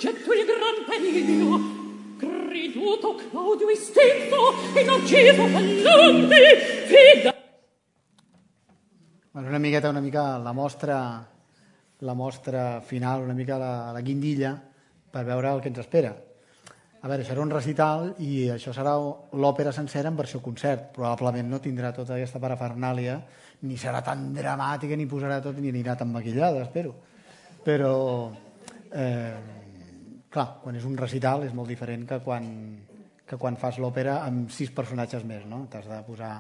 soggetto il gran periglio. Creduto Claudio istinto e Narciso fallante fida. Una mica la mostra final, una mica la guindilla per veure el que ens espera. A veure, serà un recital i això serà l'òpera sencera en versió concert. Probablement no tindrà tota aquesta parafernàlia, ni serà tan dramàtica, ni posarà tot, ni anirà tan maquillada, espero. Però, clar, quan és un recital és molt diferent que quan fas l'òpera amb 6 personatges més, no? T'has de posar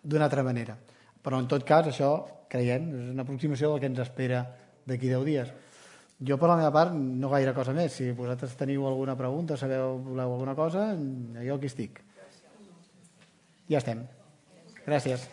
d'una altra manera. Però, en tot cas, això, creiem, és una aproximació del que ens espera d'aquí 10 dies. Jo, per la meva part, no gaire cosa més. Si vosaltres teniu alguna pregunta, voleu alguna cosa, jo aquí estic. Ja estem. Gràcies.